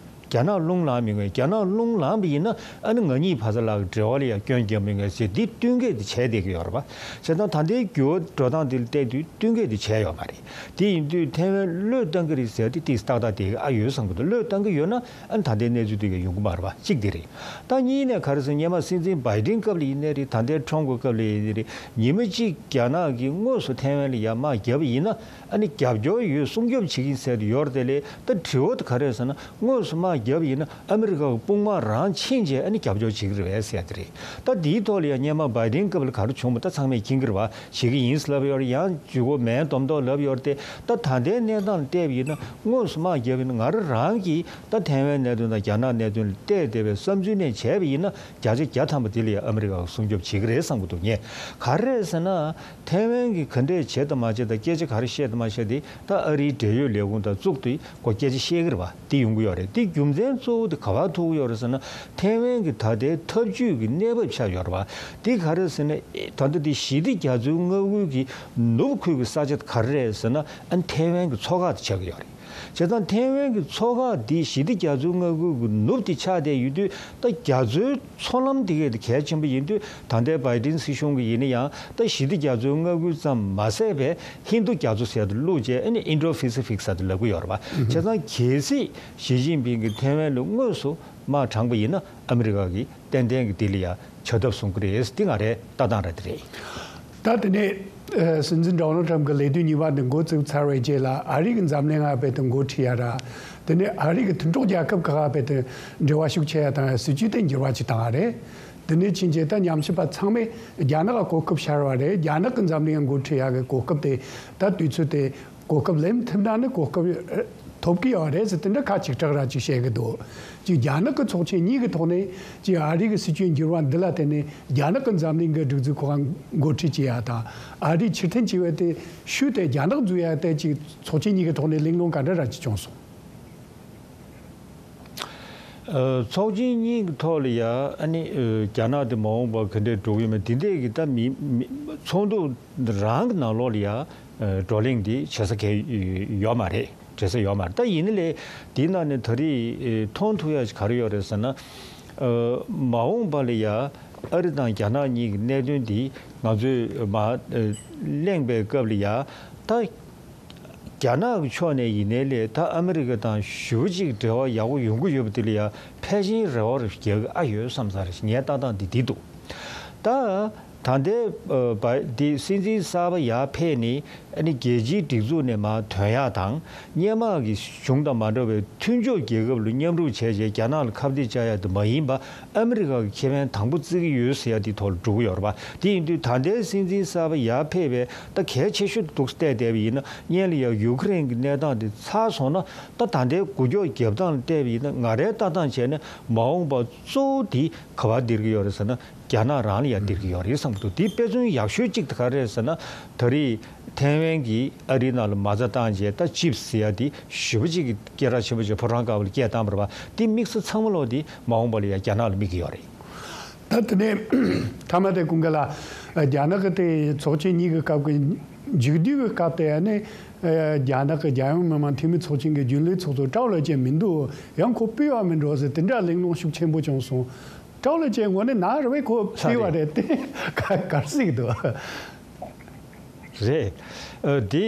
རྒྱ་ནག་རླུང་ལངས་མི་ངེས། རྒྱ་ནག་རླུང་ལངས་པ་ཡིན་ན། ཨ་ནི་ང་གཉིས་ཕ་ས་ལ་འབྲེལ་བ་ལ་ཡང་སྐྱོན་རྒྱག་མི་ངེས་ཟེར། འདི་བསྟུན་མཁས་དེ་བྱས་བསྡད་ཀྱི་ཡོད་རེད་པ། བྱས་ཙང་ད་ལྟའི་འགྱུར་བ་འགྲོ་སྟངས་དེ་ལ་བལྟས་དུས་བསྟུན་མཁས་དེ་བྱས་ཡོད་མ་རེད། དེ་ཡིན་དུས་ཐའེ་ཝན་བློས་བཏང་གི་རེད་ཟེར་དེ་ཏིས་ཏག་ཏག་དེ་ཨ་ཡོད་བསམ་གྱི་འདུག་བློས་བཏང་གི་ཡོད་ན། ཨ་ནི་ད་ལྟའི་གནས་ཚུལ་དེ་ག་ཡོང་གི་མ་རེད་པ། གཅིག་དེ་རེད། ད་གཉིས་ནས་ག་རེ་ཟེར། སྔོན་མ་སྲིད་འཛིན་བྷའི་ཌེན་སྐབས་ལ་ཡིན་ནའི་རེད། ད་ལྟའི་ཁྲོམ་གྱི་སྐབས་ལ་ཡིན་ནའི་རེད། ཉི་མ་གཅིག་རྒྱ་ནག་གིས་དངོས་སུ་ཐའེ་ཝན་ལ་ཡར་དམག་བརྒྱབ་པ་ཡིན་ན། ཨ་ནི་རྒྱབ་སྐྱོར་ཡོད། སྲུང་སྐྱོབ་བྱེད་ཀྱི་ཡིན་ཟེར་དེ་ཡོད་རེད། དེ་ལས་ད་དྲི་བ་དེ་ག་རེ་ཟེར་ན། དངོས་སུ་དམག་བརྒྱབ་པ་ཡིན་ན་ཨ་མི་རི་ཀ་གི་དཔུང་དམག་རང་ཕྱིན་རྗེས་ཨ་ནི་རྒྱབ་སྐྱོར་བྱེད་ཀྱི་རེད་པས་ཟེར་དེ་རེད། ད་དེའི་ཐོག་ལ་ཡང་སྔོན་མ་བྷའི་ཌེན་སྐབས་ལ་ག་རེ་བྱུང་བ་ད་ཚང་མས་མཁྱེན་གྱི་རེད་པ། བྱེད་ཀྱི་ཡིན་ལབ་ཡོད་རེད། ཡང་ཇུས་འགོད་མིན་མདོག་མདོག་ལབ་ཡོད་རེད་དེ། ད་ད་ལྟའི་གནས་སྟངས་ལ་བལྟས་པ་ཡིན་ན། དངོས་སུ་དམག་བརྒྱབ་པ་ཡིན་ན། ང་རང་རང་གིས་ད་ཐའེ་ཝན་གནད་དོན་དང་རྒྱ་ནག་གནད་དོན་ལ་བལྟས་བསྡད་པའི་བསམ་ཚུལ་ནས་བྱས་པ་ཡིན་ན། བརྒྱ་ཆ་བརྒྱ་ཐམ་པ་དེ་ལ་ཡང་ཨ་མི་རི་ཀ་གིས་སྲུང་སྐྱོབ་བྱེད་ཀྱི་རེད་བསམ་གྱི་འདུག་ངས་ག་རེ་རེད་ཟེར་ན། ཐའེ་ཝན་གྱིས་ག་འདྲས་བྱེད་དང་མ་བྱེད་དང་། སྐད་ཆ་ག་རེ་བཤད་དང་མ་བཤད་དེ་ད་ཨ་རིའི་འབྲེལ་ཡོད་ལས་ཁུངས་དང་གཙུག་ཏུ་ཁོ་སྐད་ཆ་བཤད་ཀྱི་རེད་པ། དེ་ཡོང་གི་ཡོད་རེད། དེ་རྒྱུ་ རྒྱུ་མཚན་གཙོ་བོ་དེ་ག་པར་ཐུག་ཡོད་རེད་ཟེར་ན། ཐའེ་ཝན་གྱི་ད་ལྟའི་འཐབ་ཇུས་ཀྱི་གནས་བབ་ཆགས་ཡོད་རེད་བ། དེ་ག་རེ་ཟེར་ན། ད་ལྟ་དེ་ཞི་བདེ་རྒྱ་མཚོའི་མངའ་ཁུལ་གྱི་ནུབ་ཁུལ་གྱི་ས་ཆ་དེ་ག་རེ་རེད་ཟེར་ན། ཨ་ནི་ཐའེ་ཝན་གྱི་མཚོ་ཁ་དེ་ཆགས་ཀྱི་ཡོད་རེད། བྱས་ཙང་ཐའེ་ཝན་གྱི་མཚོ་ཁ་འདི་ཞི་བདེ་རྒྱ་མཚོའི་མངའ་ཁུལ་གྱི་ནུབ་དེ་ཆགས་བསྡད་ཡོད་དུས། ད་རྒྱ་མཚོའི་མཚོ་ལམ་དེ་གས་དེ་གལ་ཆེན་པོ་ཡིན་དུས། ད་ལྟའི་བའི་ཏིན་སྲིད་གཞུང་གི་ཡིན་ན་ཡང་། ད་ཞི་བདེ་རྒྱ་མཚོའི་མངའ་ཁུལ་ཙམ་མ་ཟད་པའི་ཧིན་རྡུ་རྒྱ་མཚོ་ཟེར་དུ་བླུགས་བྱས། ཨ་ནི་ཨིན་ཌོ་ཕེ་སི་ཕིག་ཟེར་དུ་ལབ་ཀྱི་ཡོད་རེད་བ། བྱས་ཙང་གལ་སྲིད་ཞི་ཅིན་ཕིང་གིས་ཐའེ་ཝན་ལ་དངོས་སུ་དམག་དྲངས་པ་ཡིན་ན། ཨ་མི་རི་ཀ་གིས་ཏན་ཏན་གྱི་དེ་ལ་ཡ་བྱ་ཐབས་བཟུང་གི་རེད། འདི་ང་རའི་ལྟ་སྟངས་ར་དེ་རེད། ད་དེ་ནས་ཨ་སྲིད་འཛིན་ཌོ་ནལ་ཊམ་གྱི་ལས་དུས་གཉིས་པ་འདི་འགོ་བཙུགས་ཚར་བའི་རྗེས་ལ། ཨ་རི་གི་འཛམ་གླིང་ང་བལ་དུ་འགོ་ཁྲིད་ཡ་ར། དེ་ནས་ཨ་རི་གི་མཐུན་གྲོགས་རྒྱལ་ཁབ་ཁག་བལ་དུ་འབྲེལ་བ་ཤུགས་ཆེ་ཡ་དང་། སྲིད་ཇུས་དེ་འགྱུར་བ་ཅིག་བཏང་བ་རེད། དེ་ནས་ཕྱིན་རྗེས་ད་ཉམས་ཞིབ་པ་ཚང་མས་རྒྱ་ནག་གི་གོ་སྐབས་ཤར་བ་རེད། རྒྱ་ནག་གི་འཛམ་གླིང་འགོ་ཁྲིད་ཡ་གི་གོ་སྐབས་དེ། ད་དུས་ཚོད་དེ་གོ་སྐབས་ལེན་ཐུབ་ན་ནི་གོ་སྐབས་ཐོབ་ཀྱི་ཡོད་རེད་ཟེར། དེ་འདྲ་ཁ་ཆིག་ཁྲག་ར་ཅིག་བཤད་གི་འདུག་ཅིག་རྒྱ་ནག་གི་ཚོགས་ཆེན་གཉིས་ཀྱི་ཐོག་ནས། ཅིག་ཨ་རི་གི་སྲིད་ཇུས་འགྱུར་བ་འདི་ལ་བརྟེན་ནས་རྒྱ་ནག་གི་འཛམ་གླིང་གི་སྒྲིག་འཛུགས་ཁག་འགོ་ཁྲིད་བྱེད་ཡ་དང་། ཨ་རིའི་ཕྱིར་འཐེན་བྱེད་པ་དེ་ཤུལ་དེ་རྒྱ་ནག་འཛུལ་ཡ་དེ། ཅིག་ཚོགས་ཆེན་གཉིས་ཀྱི་ཐོག་ནས་གླེང་སློང་ག་འདྲ་ར་ཅིག་བྱུང་སོང་། ཨ། ཚོགས་ཆེན་གཉིས་ཀྱི་ཐོག་ལ་ཡ། ཨ་ནི་ཨ་རྒྱ་ནག་དེ་མ་འོངས་པར་ག་འདྲས་འགྲོ་གི་ཡོད་མེད། དེ་འདྲས་ཀྱི་ད་མི་མི་ཚོགས་འདུ་རང་གི་ནང་ལོགས་ལ་ཡ། ཨ། བགྲོ་གླེང་དེ་བྱེད་ས་གལ་ཡོད་མ་རེད། བྱེད་ས་ཡོད་མ་རེད། ད་ཡིན་ན་ལས་དེའི་ནང་ནས་ད་རེས་ཨ་མཐོང་ཐུབ་ཡ་ཞིག་ག་རེ་ཡོད་རེད་ཟེར་ན། ཨ། མ་འོངས་པ་ལ་ཡ་ཨ་རི་དང་རྒྱ་ནག་གཉིས་ཀྱི་གནད་དོན་དེ་ང་ཚོས་མར་ཨ་གླེང་པའི་སྐབས་ལ་ཡ། ད་རྒྱ་ནག་གི་ཕྱོགས་ནས་ཡིན་ནའི་ལས། ད་ཨ་མི་རི་ཀ་དང་ཞེ་པོ་ཅིག་འབྲེལ་བ་ཡག་པོ་ཡོང་གི་ཡོད་པ་དེ་ལ་ཡ་ཕལ་ཆེར་རེ་བ་རྒྱག་གི་ཨ་ཡོད་བསམ་ས་རེད། ངའི་ལྟ་སྟངས་འདི་འདི་འདུག་ད་ད་ལྟའི་ཨ་བ་འདི་སྲིད་འཛིན་གསར་པ་ཡར་ཕེབས་ནས། ཨ་ནི་རྒྱལ་སྤྱིའི་སྒྲིག་འཛུགས་ནས་མར་ཐོན་ཡག་དང་། སྔོན་མ་གི་གཞུང་དང་མ་འདྲ་བའི་མཐུན་ཕྱོགས་རྒྱལ་ཁབ་ལ་མཉམ་རུབ་བྱས་རྗེས་རྒྱ་ནག་ལ་ཁ་གཏད་བཅག་ཡག་དེ་མ་ཡིན་པ། ཨ་མི་རི་ཀ་གི་ཁེ་ཕན་དང་པོ་བརྩི་གི་ཡོད་ཟེར་ཡ་དེའི་ཐོག་ལ་འགྲོ་གི་ཡོད་རེད་པ། དེ་ཡིན་དུས་ད་ལྟའི་སྲིད་འཛིན་གསར་པ་ཡར་ཕེབས་པའི་ད་གལ་ཆེ་ཤོས་དེ་འདུག་བལྟས་བསྡད་པ་ཡིན་ན། སྔོན་ལ་ཡ་ཡུ་ཀེ་རེན་གྱི་གནས་སྟངས་དེ་ཚར་སོང་ན། ད་ད་ལྟའི་འགུལ་སྐྱོད་རྒྱབ་སྟངས་ལ་བལྟས་པ་ཡིན་ན། ང་རའི་ལྟ་སྟངས་བྱས་ན་མ་འོངས་པ་གཙོ་བོ་དེ་ག་པར་སྡོད་ཀྱི་ཡོད་རེད་ཟེར་ན། རྒྱ་ནག་རང་ལ་ཡ་སྡོད་ཀྱི་ཡོད་རེད་བསམ་གྱི་འདུག་དེའི་དཔེ་མཚོན་ཡག་ཤོས་གཅིག་དེ་ག་རེ་རེད་ཟེར་ན། ད་རེས་ཐའེ་ཝན་གྱིས་ཨ་རིའི་ནང་ལ་མ་རྩ་བཏང་རྗེས། ད་ཅིབ་ཟེར་ཡ་དེ་ཞེ་པོ་ཅིག་གི་སྐད་གྲགས་ཆེན་པོ་ཅིག་ཕོ་བྲང་དཀར་པོ་ལ་སྐད་བཏང་བ་རེད་པ། དེ་དམིགས་ས་ཚང་མ་ལོག་དེ་མ་འོངས་པ་ལ་ཡ་རྒྱ་ནག་ལ་དམིགས་ཀྱི་ཡོད་རེད། ད་དེ་ནས་མཐའ་མ་དེ་ཀུན་དགའ་ལགས། རྒྱ་ནག་གི་དེ་ཚོགས་ཆེན་གཉིས་ཀྱི་སྐབས་ཀྱི་མཇུག་བསྡུའི་གི་སྐབས་དེ། ཨ་ནི་རྒྱ་ནག་གི་རྒྱལ་ཡོངས་མི་དམངས་འཐུས་མི་ཚོགས་ཆེན་གྱི་རྒྱུན་ལས་ཚོགས་གཙོ་ཀྲའོ་ལེ་ཅན་མི་འདུག་ཡང་ཁོ་ཕུད་པ་མིན་འགྲོ་ཟེར། དེ་འདྲ་གླེང་སློང་ཤུགས་ཆེན་པོ་བྱུང་སོང་། ཀྲའོ་ལེ་ཅན་དངོས་གནས་ན་རེ་བས་ཁོ་ཕུད་པ་རེད་དེ། ག་གར་སྲིད་འདུག་རེད། ཨ་དེ་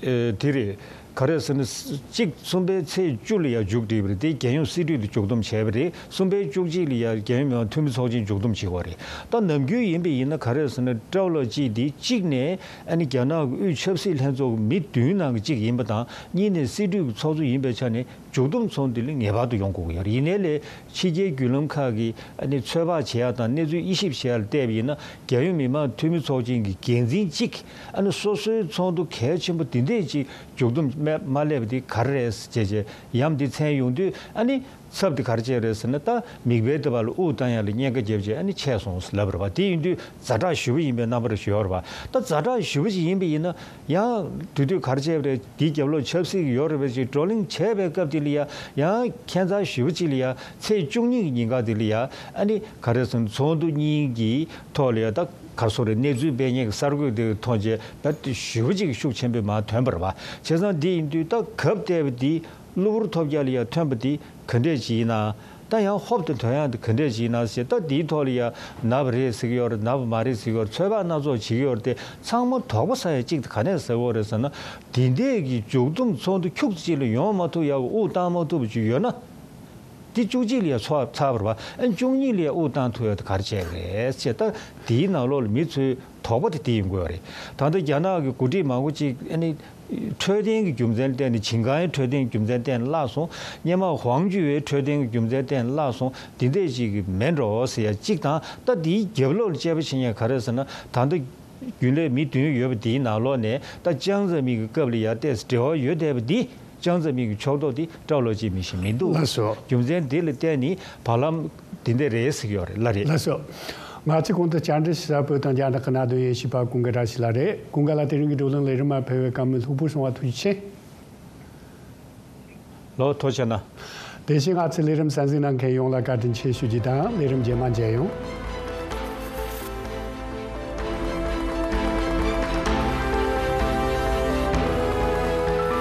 ཨ་དེ་རེད། ག་རེ་ཟེར་ན། གཅིག་གསུམ་པའི་ཚེས་བཅུ་ལ་ཡ་མཇུག་སྒྲིལ་བ་རེད། དེ་རྒྱལ་ཡོངས་སྲིད་གྲོས་དེ་མཇུག་བསྡོམས་བྱས་པ་རེད། གསུམ་པའི་བཅུ་གཅིག་ལ་ཡ་རྒྱལ་ཡོངས་མི་དམངས་འཐུས་མི་ཚོགས་ཆེན་མཇུག་བསྡོམས་བྱེད་དགོས་རེད། ད་ནམ་རྒྱུན་ཡིན་པ་ཡིན་ན་ག་རེ་ཟེར་ན། ཀྲའོ་ལེ་ཅན་དེ་གཅིག་ནས་ཨ་ནི་རྒྱ་ནག་གི་དབུས་ཆབ་སྲིད་ལྷན་ཚོགས་ཀྱི་མི་བདུན་ནང་གི་གཅིག་ཡིན་པ་དང་། གཉིས་ནས་སྲིད་གྲོས་ཀྱི་ཚོགས་གཙོ་ཡིན་པའི་ཆ་ནས། མཇུག་བསྡོམས་ཚོགས་འདུ་ལ་ངེས་པར་དུ་ཡོང་དགོས་ཀྱི་ཡོད་རེད། ཡིན་ནའི་ལས་ཕྱི་རྒྱལ་བརྒྱུད་ལམ་ཁག་གིས་ཨ་ནི་ཚོད་དཔག་བྱེད་ཡ་དང་གནས་ཚུལ་དབྱེ་ཞིབ་བྱེད་ཡ་ལ་བལྟས་པ་ཡིན་ན། རྒྱལ་ཡོངས་མི་དམངས་འཐུས་མི་ཚོགས་ཆེན་གྱི་འགན་འཛིན་གཅིག་ཨ་ནི་སོ་སོའི་ཚོགས་འདུ་གལ་ཆེན་པོ་འདི་འདྲས་ཅིག་མཇུག་བསྡོམས་མ་མ་སླེབས་པ་འདི་ག་རེ་རེད་ཟེར་བྱས་བྱས་ཡ་འདི་མཚན་ཡོང་དུས། ཨ་ནི་ཚབ་དེ་ག་རེ་བྱས་རེད་ཟེར་ན། ད་མིག་དཔེ་དེ་བ་ལ་དབུགས་བཏང་ཡ་ལ་གཉན་ཁ་བརྒྱབ་བྱས་ཨ་ནི་ཆད་སོང་ཟེར་ལབ་པ་རེད་པ། དེ་ཡིན་དུས་ཛ་དྲག་ཞེ་པོ་ཡིན་པའི་རྣམ་པ་རེ་ཞིག་ཡོད་རེད་པ། ད་ཛ་དྲག་ཞེ་པོ་ཞིག་ཡིན་པ་ཡིན་ན། ཡང་དེ་དུས་ག་རེ་བྱས་པ་རེད། དེའི་རྒྱབ་ལོགས་ཆབ་སྲིད་ཀྱི་ཡོད་རེད་པ་ཞིག་བགྲོ་གླེང་བྱས་པའི་སྐབས་དེ་ལ་ཡ། ཡང་ཁྱད་མཚར་ཞེ་པོ་ཅིག་ལ་ཡ། ཚེས་བཅུ་གཉིས་ཀྱི་ཉིན་ཀ་དེ་ལ་ཡ། ཨ་ནི་ག་རེ་ཟེར་ན། ཚོགས་འདུ་གཉིས་ཀྱི་ཐོག་ལ་ཡ། ད་ག་རེ་ཟེར་དགོས་རེད། གནས་ཚུལ་སྤེལ་མཁན་གྱི་གསར་འགོད་དེ་མཐོང་རྗེས། ད་དེ་ཞེ་པོ་ཅིག་ཤུགས་ཆེན་པོས་མར་ཐོན་པ་རེད་པ། བྱས་ཙང་དེ་ཡིན་དུས་ད་གབ་བལྟས་པ་དེ། གློ་བུར་ཐོལ་རྒྱག་ལ་ཡ་ཐོན་པ་དེ་ག་འདྲས་ཅིག་ཡིན་ན། ད་ཡང་ཧོབ་ཏེ་ཐོན་ཡག་དེ་ག་འདྲས་ཅིག་ཡིན་ན་ཟེར། ད་དེའི་ཐོག་ལ་ཡ་ན་བ་རེད་ཟེར་གྱི་ཡོད་རེད། ན་བ་མ་རེད་ཟེར་གྱི་ཡོད་རེད། ཚོད་དཔག་སྣ་ཚོགས་བྱེད་ཀྱི་ཡོད་རེད་དེ། ཚང་མ་དོགས་པ་ཟ་ཡ་གཅིག་དེ་ག་ནས་ཟ་གི་ཡོད་རེད་ཟེར་ན། དེ་འདྲས་ཀྱི་མཇུག་བསྡོམས་ཚོགས་འདུ་ཁྱུག་ཙམ་ཅིག་ལ་ཡོང་མ་ཐུབ་ཡག་གི་དབུགས་བཏང་མ་ཐུབ་པ་ཅིག་ཡོད་ན། དེ་བཅུ་གཅིག་ལ་ཡ་ཚོགས་ཚར་བ་རེད་པ། ཨ་བཅུ་གཉིས་ལ་ཡ་དབུགས་བཏང་ཐུབ་ཡག་དེ་ག་རེ་བྱས་རེད་ཟེར། ད་དེའི་ནང་ལོགས་ལ་མི་ཚོའི་དོགས་པ་དེ་དེ་ཡོང་གི་ཡོད་རེད། ད་ལྟ་རྒྱ་ནག་གི་འགོ་ཁྲིད་མང་པོ་ཅིག་ཨ་ནི་འཕྲོད་བསྟེན་གྱི་རྒྱུ་མཚན་བརྟེན་ནས། ཆིང་ཀའེ་འཕྲོད་བསྟེན་གྱི་རྒྱུ་མཚན་བརྟེན་ནས་བརླག་སོང་། སྔོན་མ་ཝང་ཅུའེ་འཕྲོད་བསྟེན་གྱི་རྒྱུ་མཚན་བརྟེན་ནས་བརླག་སོང་། དེ་འདྲས་ཅིག་གི་མེད་འགྲོ་ཟེར་ཡ་གཅིག་དང་། ད་དེའི་རྒྱབ་ལོགས་ལ་དཔྱད་པ་བྱེད་མཁན་ག་རེ་ཟེར་ན། ད་ལྟ་རྒྱུན་ལས་མི་བདུན་ཡོད་པ་དེའི་ནང་ལོགས་ནས། ད་ཅང་ཙེ་མིན་གྱི་སྐབས་ལ་ཡ་ཏོག་ཙམ་འབྲེལ་བ་ཡོད་བསྡད་པ་འདི། ཅང་ཙེ་མིན་གྱི་ཕྱོགས་གཏོགས་དེ་ཀྲའོ་ལོ་ཅི་མིན་ཞིག་མི་འདུག་ལགས་སོ། རྒྱུ་མཚན་འདི་ལ་བརྟེན་ནས་བར་ལམ་འདི་འདྲ་རེད་ཟེར་གྱི་ཡོད་རེད། ལགས་རེད། ལགས་སོ། ང་ཚོས་གོང་དུ་བཅར་འདྲི་ཞུ་ས་བོད་དང་རྒྱ་ནག་གི་གནད་དོན་དབྱེ་ཞིབ་པ་ཀུན་དགའ་བཀྲ་ཤིས་ལགས་རེད། ཀུན་དགའ་ལགས་དེ་རིང་གི་བགྲོ་གླེང་ལས་རིམ་མར་ཕེབས་པའི་བཀའ་མོལ་ལྷུག་པོ་གསུང་བ་ཐུགས་རྗེ་ཆེ། ལགས་སོ། ཐུགས་རྗེ་གནང་། དེ་བཞིན་ང་ཚོའི་ལས་རིམ་གསན་གཟིགས་གནང་མཁན་ཡོངས་ལ་བཀའ་དྲིན་ཆེ་ཞུ་རྒྱུ་དང་། ལས་རིམ་རྗེས་མ་མཇལ་ཡོང་།